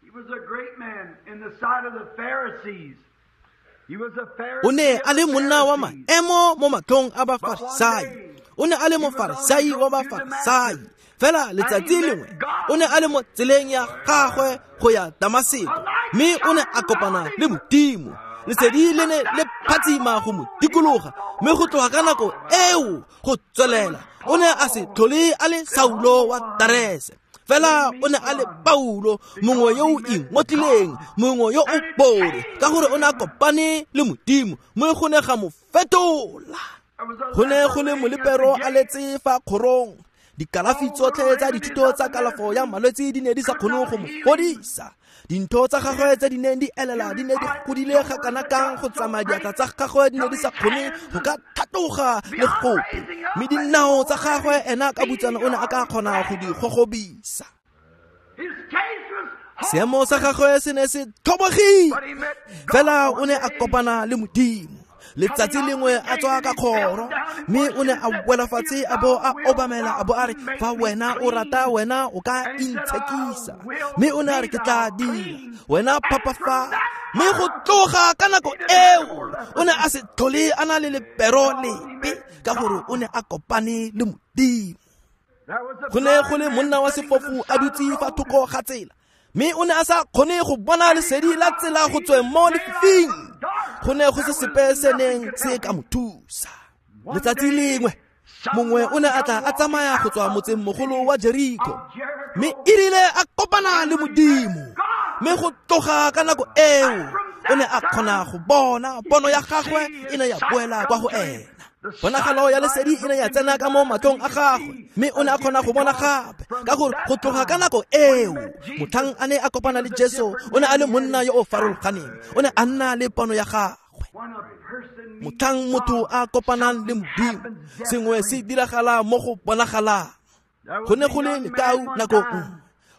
O ne a le monna wa maemo mo matlhong a Bafarisai. O ne a le Mofarisai wa Bafarisai. Fela letsatsi lengwe o ne a le mo tseleng ya gagwe go ya Damaseko, mme o ne a kopana le Modimo. Lesedi le ne le phatsima go mo dikologa, mme go tloga ka nako eo go tswelela o ne a se tlhole a le Saulo wa Tarese. Fela o ne a le Paulo, mongwe yo o ingotlileng, mongwe yo o bore, ka gore o ne a kopane le Modimo, mme go ne ga mo fetola. Go ne go le molepero a letse fa kgorong. Dikalafi tsotlhe tsa dithuto tsa kalafo ya malwetse di ne di sa kgone go mo fodisa. Dintho tsa gagwe tse di neng di elela di ne di godile ga kana kang go tsamaya diatla tsa gagwe di ne di sa kgone go ka thatoga le gope, mme dinao tsa gagwe ena ka butsana o ne a ka kgona go di gogobisa. Seemo sa gagwe se ne se tlhobogile, fela o ne a kopana le Modimo. Letsatsi lengwe a tswa ka kgoro, mme o ne a wela fatshe a bo a obamela, a bo a re, fa wena o rata, wena o ka intshekisa. Mme o ne a re, ke tla dira, wena phapafa. Mme go tloga ka nako eo o ne a se tlhole a na le lepero lepe, ka gore o ne a kopane le Modimo. Go ne go le monna wa sefofu a dutse fa thoko ga tsela, mme o ne a sa kgone go bona lesedi la tsela go tsweng mo lefifing. Go ne go se sepe se neng se ka mo thusa. Letsatsi lengwe mongwe o ne a tla a tsamaya go tswa motseng mogolo wa Jeriko, mme e rile a kopana le Modimo, mme go tloga ka nako eo o ne a kgona go bona. Pono ya gagwe e ne ya boela kwa go ena. Ponagalo ya lesedi e ne ya tsena ka mo matlhong a gagwe, mme o ne a kgona go bona gape, ka gore go tloga ka nako eo motlhang a ne a kopana le Jesu, o ne a le monna yo o farologaneng. O ne a nna le pono ya gagwe. Motlhang motho a kopanang le Modimo, sengwe se diragala mo go bonagalang. Go ne go le lekau nako nngwe,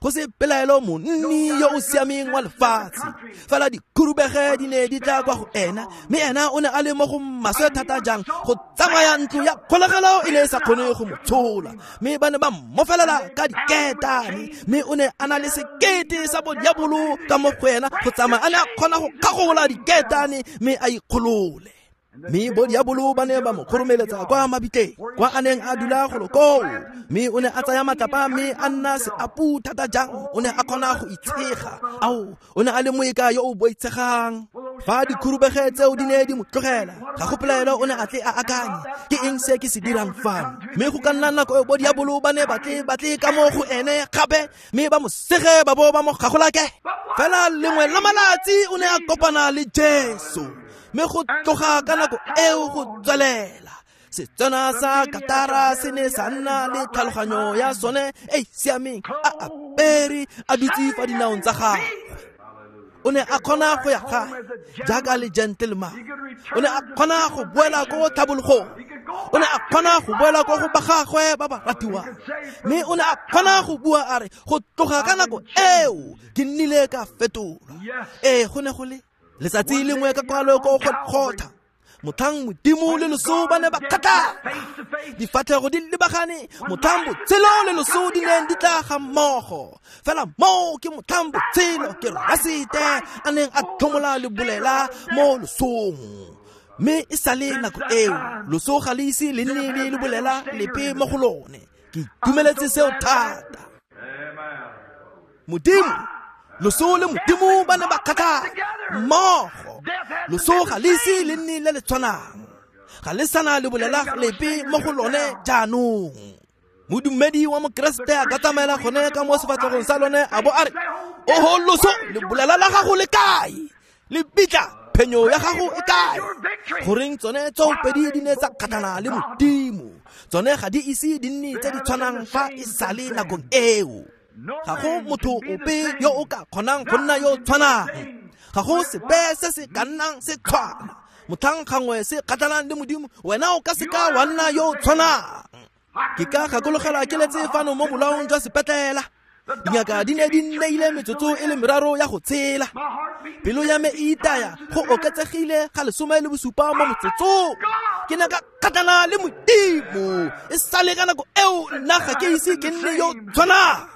go se pelaelo monni yo o siameng wa lefatshe, fela dikhurubege di ne di tla kwa go ena, mme ena o ne a le mo go maswe thata jang go tsamaya ntlo ya kgolegelo e ne e sa kgone go mo tshola, mme ba ne ba mmofelela ka diketane, mme o ne a na le sekete sa bodiabolo ka mo go ena go tsamaya a ne a kgona go kgagola diketane mme a ikgolole. Mme bodiabolo ba ne ba mo kgoromeletsa kwa mabitleng, kwa a neng a dula golo koo, mme o ne a tsaya matlapa mme a nna seapu thata jang, o ne a kgona go itshega. Ao, o ne a le moeka yo o boitshegang. Fa dikhurubege tseo di ne di mo tlogela, ga go pelaelo o ne a tle a akanye, ke eng se ke se dirang fano? Mme go ka nna nako e bodiabolo ba ne ba tle ka mo go ene gape, mme ba mo sege ba bo ba mo gagolake. Fela lengwe la malatsi o ne a kopana le Jesu, mme go tloga ka nako eo go tswelela, Setswana sa Katara se ne sa nna le tlhaloganyo ya sone e siameng, a apere a dutse fa dinaong tsa gagwe. O ne a kgona go ya gae jaaka le gentleman. O ne a kgona go boela ko tlhabologong. O ne a kgona go boela ko go ba gagwe ba ba ratiwang. Mme o ne a kgona go bua a re, go tloga ka nako eo ke nnile ka fetolwa. Ee, go ne go le letsatsi lengwe ka kwalo ko Golgotha, motlhang Modimo le loso ba ne ba kgatlhana, difatlhego di lebagane, motlhang botshelo le loso di neng di tla ga mmogo. Fela moo ke motlhang botshelo ke Keresete a neng a tlhomola lebolela mo losong. Mme e sale nako eo, loso ga le ise le nne le lebolela lepe mo go lone. Ke itumeletse seo thata. Modimo, loso le Modimo ba ne ba kgatlhana mmogo. Loso ga le ise le nne le le tshwanang, ga le sana le bolela lepe mo go lone jaanong. Modumedi wa Mokeresete a ka tsamaela gone ka mo sefatlhegong sa lone a bo a re, oho loso, le bolela la gago le kae? Le bitla, phenyo ya gago e kae? Goreng tsone tsoopedi di ne tsa kgatlhana le Modimo, tsone ga di ise di nne tse di tshwanang fa e sale nakong eo. Ga go motho ope yo o ka kgonang go nna yo tshwanang. Ga go sepe se se ka nnang se tshwana. Motlhang gangwe se kgatlhanang le Modimo, wena o ka seka wa nna yo tshwanang. Ke ka gakologela ke letse fano mo bolaong jwa sepetlela. Dingaka di ne di nneile metsotso e le meraro ya go tshela. Pelo ya me e itaya go oketsegile ga 17 mo motsotsong. Ke ne ka kgatlhana le Modimo. E sale ka nako eo nna ga ke ise ke nne yo tshwanang.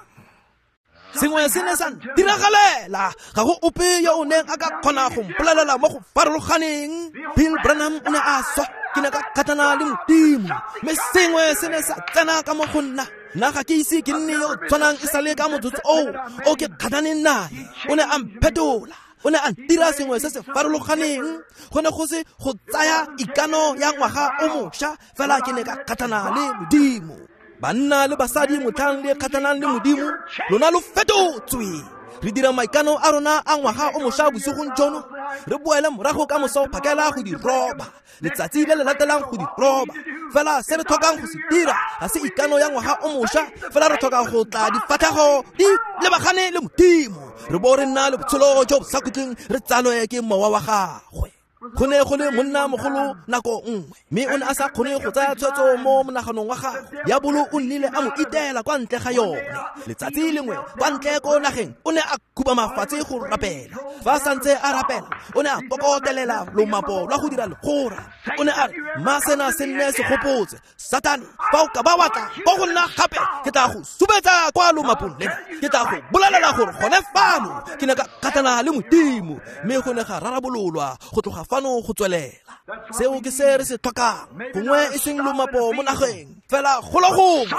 Sengwe se ne sa ntiragalela, ga go ope yo o neng a ka kgona go mpolelela mo go farologaneng. Bill Branham o ne a swa, ke ne ka kgatlhana le Modimo, mme sengwe se ne sa tsena ka mo go nna. Nna ga ke ise ke nne yo tshwanang e sale ka motsotso oo o ke kgatlhaneng nae. O ne a mphetola, o ne a ntira sengwe se se farologaneng. Go ne go se go tsaya ikano ya ngwaga o mošwa, fela ke ne ka kgatlhana le Modimo. Banna le basadi motlhang le kgatlhanang le Modimo, lona lo fetotswe. Re dira maikano a rona a ngwaga o mošwa bosigong jono, re boele morago ka moso phakela go di roba, letsatsi le le latelang go di roba. Fela se re tlhokang go se dira ga se ikano ya ngwaga o mošwa, fela re tlhoka go tla difatlhego di lebagane le Modimo, re bo re nna le botshelo jo bo sa khutleng, re tsalwe ke mowa wa gagwe. Go ne go le monna mogolo nako nngwe, mme o ne a sa kgone go tsaya tshwetso mo monaganong wa gagwe. Diabolo o nnile a mo itela kwa ntle ga yone. Letsatsi lengwe kwa ntle ko nageng o ne a khubama fatshe go rapela. Fa a santse a rapela, o ne a kokotelela lomapo lwa go dira legora. O ne a re, mma sena se nne segopotse, Satane, fa o ka ba wa tla ko go nna gape, ke tla go subetsa kwa lomapong lena. Ke tla go bolelela gore gone fano ke ne ka kgatlhana le Modimo, mme go ne ga rarabololwa go tloga fano go tswelela. Seo ke se re se tlhokang, gongwe e seng lomapo mo nageng, fela golo gongwe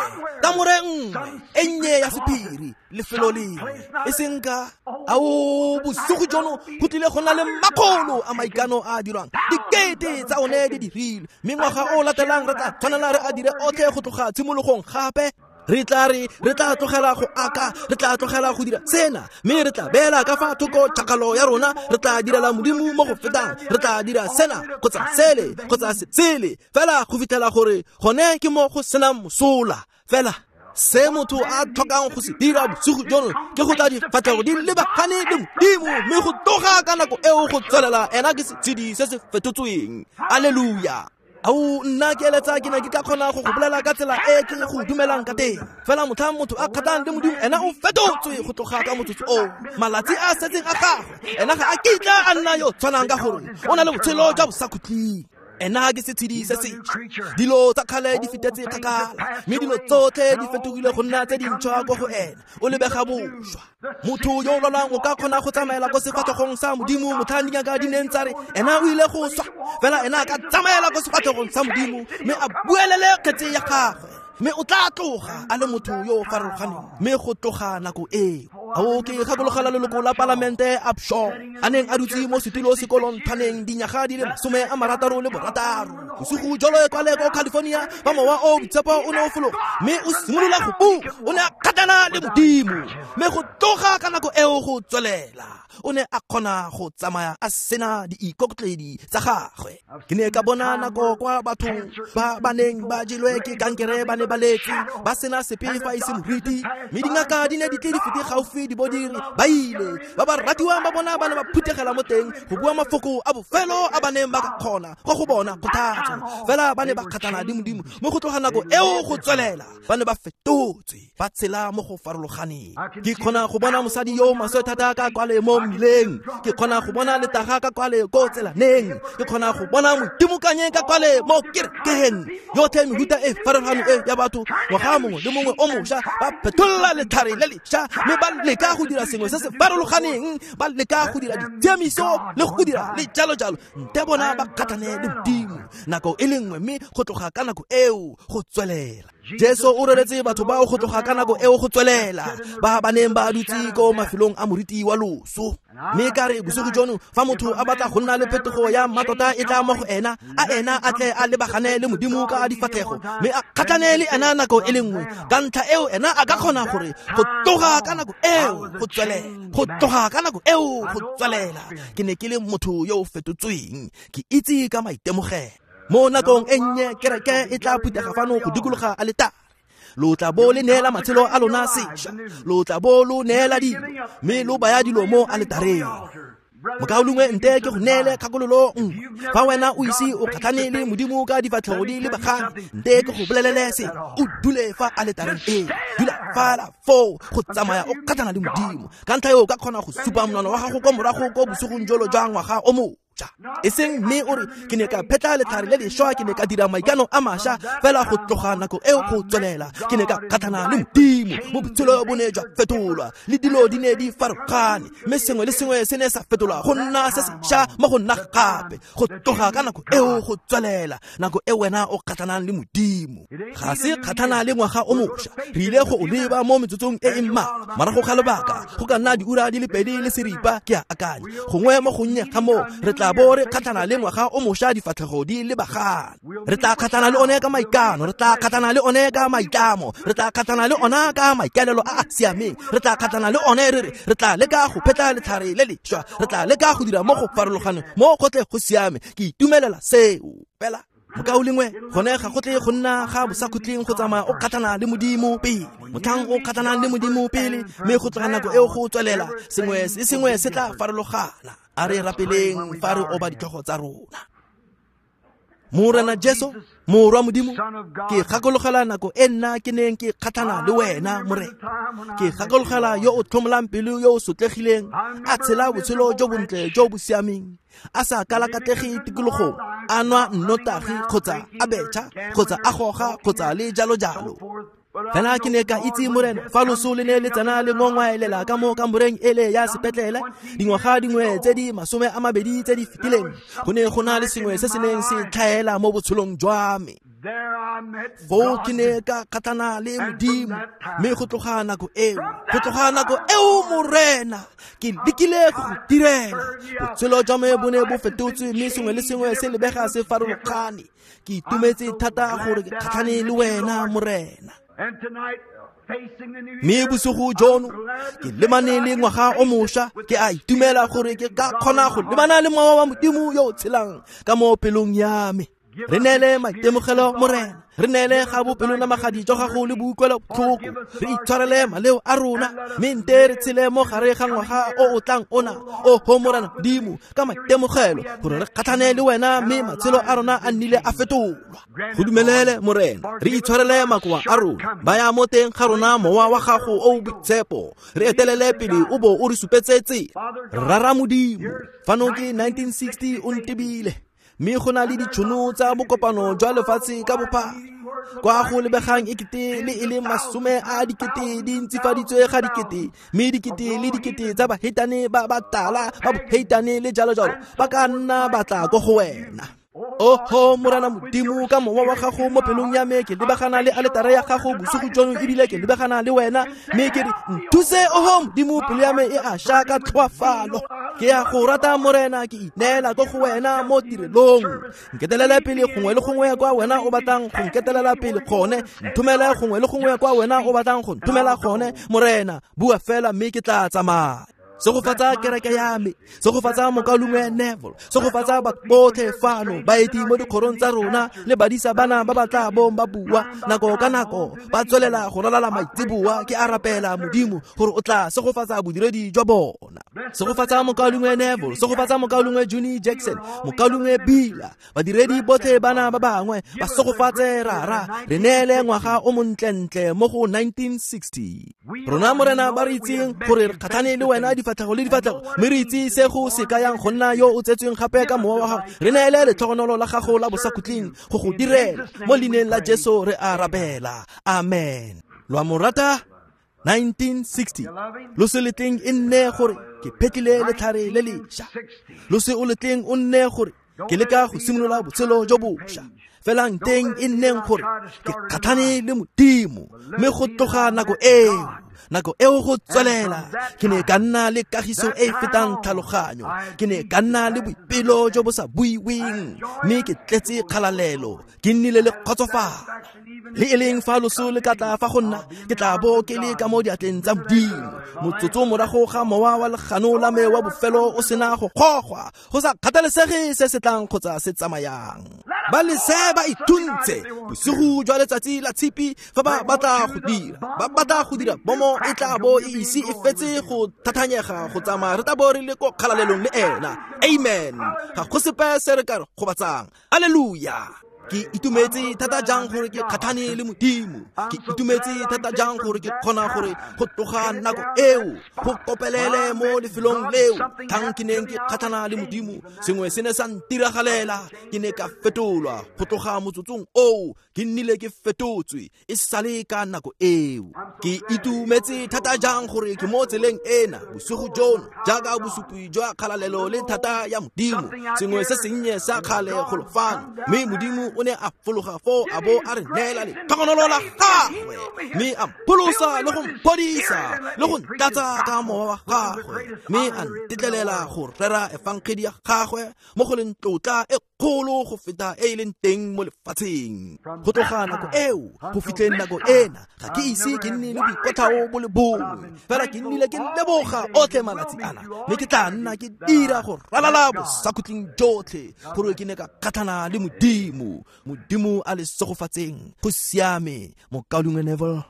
kamore nngwe e nnye ya sephiri, lefelo lengwe, e seng ka ao bosigo jono go tlile go nna le makgolo a maikano a a dirwang, dikete tsa one di dirilwe, mme ngwaga o latelang re tla tshwanela re a dire otlhe go tloga tshimologong gape. Re tla re tla tlogela go aka, re tla tlogela go dira sena, mme re tla beela ka fa thoko tšhakgalo ya rona, re tla direla Modimo mo go fetang, re tla dira sena kgotsa sele kgotsa sele, fela go fitlhela gore gone ke mo go senang mosola fela. Se motho a tlhokang go se dira bosigo jono ke go tla difatlhego di lebagane le Modimo, mme go tloga ka nako eo go tswelela ena ke setshedi se se fetotsweng. Alleluia. Ao, nna ke eletsa ke ne ke ka kgona go go bolela ka tsela e ke go dumelang ka teng. Fela motlhang motho a kgatlhang le Modimo, ena o fetotswe go tloga ka motsotso oo. Malatsi a setseng a gagwe, ena ga a kitla a nna yo tshwanang ka gore o na le botshelo jwa bosakhutleng. Ena ke setshedi se sešwa. Dilo tsa kgale di fetetse kgakala, mme dilo tsotlhe di fetogile go nna tse dintšhwa ko go ena. O lebega bošwa. Motho yo o lwalang o ka kgona go tsamaela ko sefatlhegong sa Modimo motlhang dingaka di neng tsa re ena o ile go swa. Fela ena a ka tsamaela ko sefatlhegong sa Modimo mme a buelele kgetse ya gagwe, mme o tla tloga a le motho yo o farologaneng. Mme go tloga nako eo, ao ke gakologela leloko la palamente Upshaw a neng a dutse mo setulo sekolong thaneng dinyaga di le 66. Bosigo jolo kwale ko California, ba mowa o boitshepo o ne o fologa mme o simolola go bua. O ne a kgatlhana le Modimo, mme go tloga ka nako eo go tswelela o ne a kgona go tsamaya a sena diikokotledi tsa gagwe. Ke ne ka bona nako kwa batho ba ba neng ba jelwe ke kankere ba ne ba letse ba sena sepe fa e se moriti, mme dingaka di ne di tle di fete gaufi di bo di re ba ile. Ba ba ratiwang ba bona ba ne ba phuthegela mo teng go bua mafoko a bofelo a ba neng ba ka kgona go go bona kgothatso. Fela ba ne ba kgatlhana le Modimo, mo go tloga nako eo go tswelela ba ne ba fetotswe, ba tshela mo go farologaneng. Ke kgona go bona mosadi yo maswe thata ka kwale mo mmileng, ke kgona go bona letaga ka kwale ko tselaneng, ke kgona go bona modimokanye ka kwale mo kerekeng. Yotlhe mehuta e farologaneng e ya batho, ngwaga mongwe le mongwe o mošwa ba phetolla letlhare le lešwa, mme ba leka go dira sengwe se se farologaneng, ba leka go dira ditshiamiso le go dira le jalo jalo. Nte bona ba kgatlhane le Modimo nako e le nngwe, mme go tloga ka nako eo go tswelela. Jesu o reretse batho bao go tloga ka nako eo go tswelela, ba ba neng ba dutse ko mafelong a moriti wa loso. Mme ka re bosigo jono, fa motho a batla go nna le phetogo ya mmatota e tla mo go ena, a ena a tle a lebagane le Modimo ka difatlhego, mme a kgatlhane le ena nako e le nngwe. Ka ntlha eo ena a ka kgona gore go tloga ka nako eo go tswelela, go tloga ka nako eo go tswelela, ke ne ke le motho yo o fetotsweng, ke itse ka maitemogelo. Mo nakong e nnye kereke e tla phuthega fano go dikologa aletare. Lo tla bo le neela matshelo a lona sešwa, lo tla bo lo neela dilo, mme lo baya dilo mo aletareng. Mokaulengwe, nte ke go neele kgakololo nngwe. Fa wena o ise o kgatlhane le Modimo ka difatlhego di lebagane, nte ke go bolelele se, o dule fa aletareng eo, dula fala foo go tsamaya o kgatlhana le Modimo. Ka ntlha eo o ka kgona go supa monwana wa gago ko morago ko bosigong jolo jwa ngwaga o mošwa. E seng mme o re ke ne ka phetla letlhare le lešwa, ke ne ka dira maikano a mašwa, fela go tloga nako eo go tswelela ke ne ka kgatlhana le Modimo. Mo botshelo bo ne jwa fetolwa, le dilo di ne di farologane, mme sengwe le sengwe se ne sa fetolwa go nna se sešwa mo go nna gape. Go tloga ka nako eo go tswelela, nako e wena o kgatlhanang le Modimo. Ga se kgatlhana le ngwaga o mošwa, re ile go o leba mo metsotsong e e mmalwa morago ga lobaka, go ka nna diura di le 2 le seripa ke a akanya, gongwe mo gonnye ga moo re tla bo re kgatlhana le ngwaga o mošwa difatlhego di lebagane. Re tla kgatlhana le one ka maikano, re tla kgatlhana le one ka maitlamo, re tla kgatlhana le ona ka maikaelelo a a siameng, re tla kgatlhana le one re re re tla leka go phetla letlhare le lešwa, re tla leka go dira mo go farologaneng mo gotlhe go siame. Ke itumelela seo. Fela mokaulengwe, gone ga go tle go nna ga bosakhutleng go tsamaya o kgatlhana le Modimo pele. Motlhang o kgatlhanang le Modimo pele, mme go tloga nako eo go tswelela, sengwe se sengwe se tla farologana. A re rapeleng fa re oba ditlhogo tsa rona. Morena Jesu, Morwa Modimo, ke gakologela nako e nna ke neng ke kgatlhana le wena, Morena. Ke gakologela yo o tlhomolang pelo yo o sotlegileng, a tshela botshelo jo bontle jo bo siameng, a sa kalakatlege tikologong, a nwa nnotagi kgotsa a betšha kgotsa a goga kgotsa le jalo jalo. Fela ke ne ka itse, Morena, fa loso le ne le tsena le ngongwaelela ka mo kamoreng ele ya sepetlele dingwaga dingwe tse di 20 tse di fetileng, go ne go na le sengwe se se neng se tlhaela mo botshelong jwa me. Foo ke ne ka kgatlhana le Modimo, mme go tloga nako eo, go tloga nako eo, Morena, ke lekile go go direla. Botshelo jwa me bo ne bo fetotswe, mme sengwe le sengwe se lebega se farologane. Ke itumetse thata gore ke kgatlhane le wena, Morena. Mme bosigo jono ke lemane le ngwaga o mošwa, ke a itumela gore ke ka kgona go lebana le mowa wa Modimo yo o tshelang ka mo pelong ya me. Re neele maitemogelo Morena, re neele ga bopelonamagadi jwa gago le boutlwelobotlhoko, re itshwarele maleo a rona, mme nte re tshele mo gare ga ngwaga o o tlang ona, oho Morena Modimo, ka maitemogelo gore re kgatlhane le wena, mme matshelo a rona a nnile a fetolwa. Go dumelele Morena, re itshwarele makoa a rona, baya mo teng ga rona mowa wa gago o o boitshepo, re etelele pele o bo o re supetse tsela. Rara Modimo, fano ke 1960 o ntebile, mme go na le ditšhono tsa bokopano jwa lefatshe ka bophara, kwa go lebegang ekete le e le 10 a dikete di ntsifaditswe ga dikete, mme dikete le dikete tsa baheitane ba ba tala ba boheitane le jalo jalo ba ka nna ba tla ko go wena. Oho Morena Modimo, ka mowa wa gago mo pelong ya me ke lebagana le aletare ya gago bosigo jono, ebile ke lebagana le wena, mme ke re nthuse, oho Modimo, pelo ya me e a sha ka tlhoafalo. Ke ya go rata Morena, ke ineela ko go wena mo tirelong. Nketelele pele gongwe le gongwe kwa wena o batlang go nketelela pele gone, nthomele gongwe le gongwe kwa wena o batlang go nthomela gone. Morena, bua fela mme ke tla tsamaya. Segofatsa kereke ya me, segofatsa mokaulengwe Neville, segofatsa batho botlhe fano, baeti mo dikgorong tsa rona le badisa bana ba ba tla bong ba bua nako ka nako, ba tswelela go ralala maitseboa. Ke a rapela Modimo gore o tla segofatsa bodiredi jwa bona. Segofatsa mokaulengwe Neville, segofatsa mokaulengwe Juni Jackson, mokaulengwe Bila, badiredi botlhe bana ba bangwe, ba segofatse Rara, re neele ngwaga o montlentle mo go 1960. Rona Morena ba re itseng gore re kgatlhane le wena difatlhego le difatlhego, mme re itse se go se kayang go nna yo o tsetsweng gape ka mowa wa gago. Re neele letlhogonolo la gago la bosakhutleng go go direla. Mo leineng la Jesu re a rapela, amen. Lo a mo rata? 1960. Lo se letleng e nne gore ke phetlile letlhare le lešwa, lo se o letleng o nne gore ke leka go simolola botshelo jo bošwa, fela nteng e nneng gore ke kgatlhane le Modimo. Mme go tloga nako eo go tswelela, ke ne ka nna le kagiso e e fetang tlhaloganyo, ke ne ka nna le boipelo jo bo sa buiweng, mme ke tletse kgalalelo, ke nnile le kgotsofalo. Le e leng fa loso le ka tla fa go nna, ke tla bo ke le ka mo diatleng tsa Modimo. Motsotso morago ga mowa wa legano la me wa bofelo o sena go gogwa, go sa kgathalesege se se tlang kgotsa se tsamayang. Ba lese ba ithuntse bosigo jwa letsatsi la tshipi fa ba batla go dira, ba batla go dira bomo e tla bo e ise e fetse go thathanyega go tsamaya, re tla bo re le ko kgalalelong le ena. Amen. Ga go sepe se re ka re gobatsang. Alleluia. Ke itumetse thata jang gore ke kgatlhane le Modimo. Ke itumetse thata jang gore ke kgona gore go tloga nako eo go kopelele mo lefelong leo tlhang ke neng ke kgatlhana le Modimo, sengwe se ne sa ntiragalela, ke ne ka fetolwa. Go tloga motsotsong oo ke nnile ke fetotswe e sale ka nako eo. Ke itumetse thata jang gore ke mo tseleng ena bosigo jono, jaaka bosupi jwa kgalalelo le thata ya Modimo, sengwe se sennye sa kgale golo fano, mme Modimo o ne a fologa foo a bo a re neela letlhogonolo la gagwe, mme a mpholosa le go mphodisa le go ntlatsa ka mowa wa gagwe, mme a ntetlelela go rera efangedi ya gagwe mo go leng tlotla e kgolo go feta e e leng teng mo lefatsheng. Go tloga nako eo go fitlheng nako ena, ga ke ise ke nne le boikotlhao bo le bongwe, fela ke nnile ke leboga otlhe malatsi ana, mme ke tla nna ke dira go ralala bosakhutleng jotlhe gore ke ne ka kgatlhana le Modimo. Modimo a le segofatseng. Go siame, mokaulengwe Neville.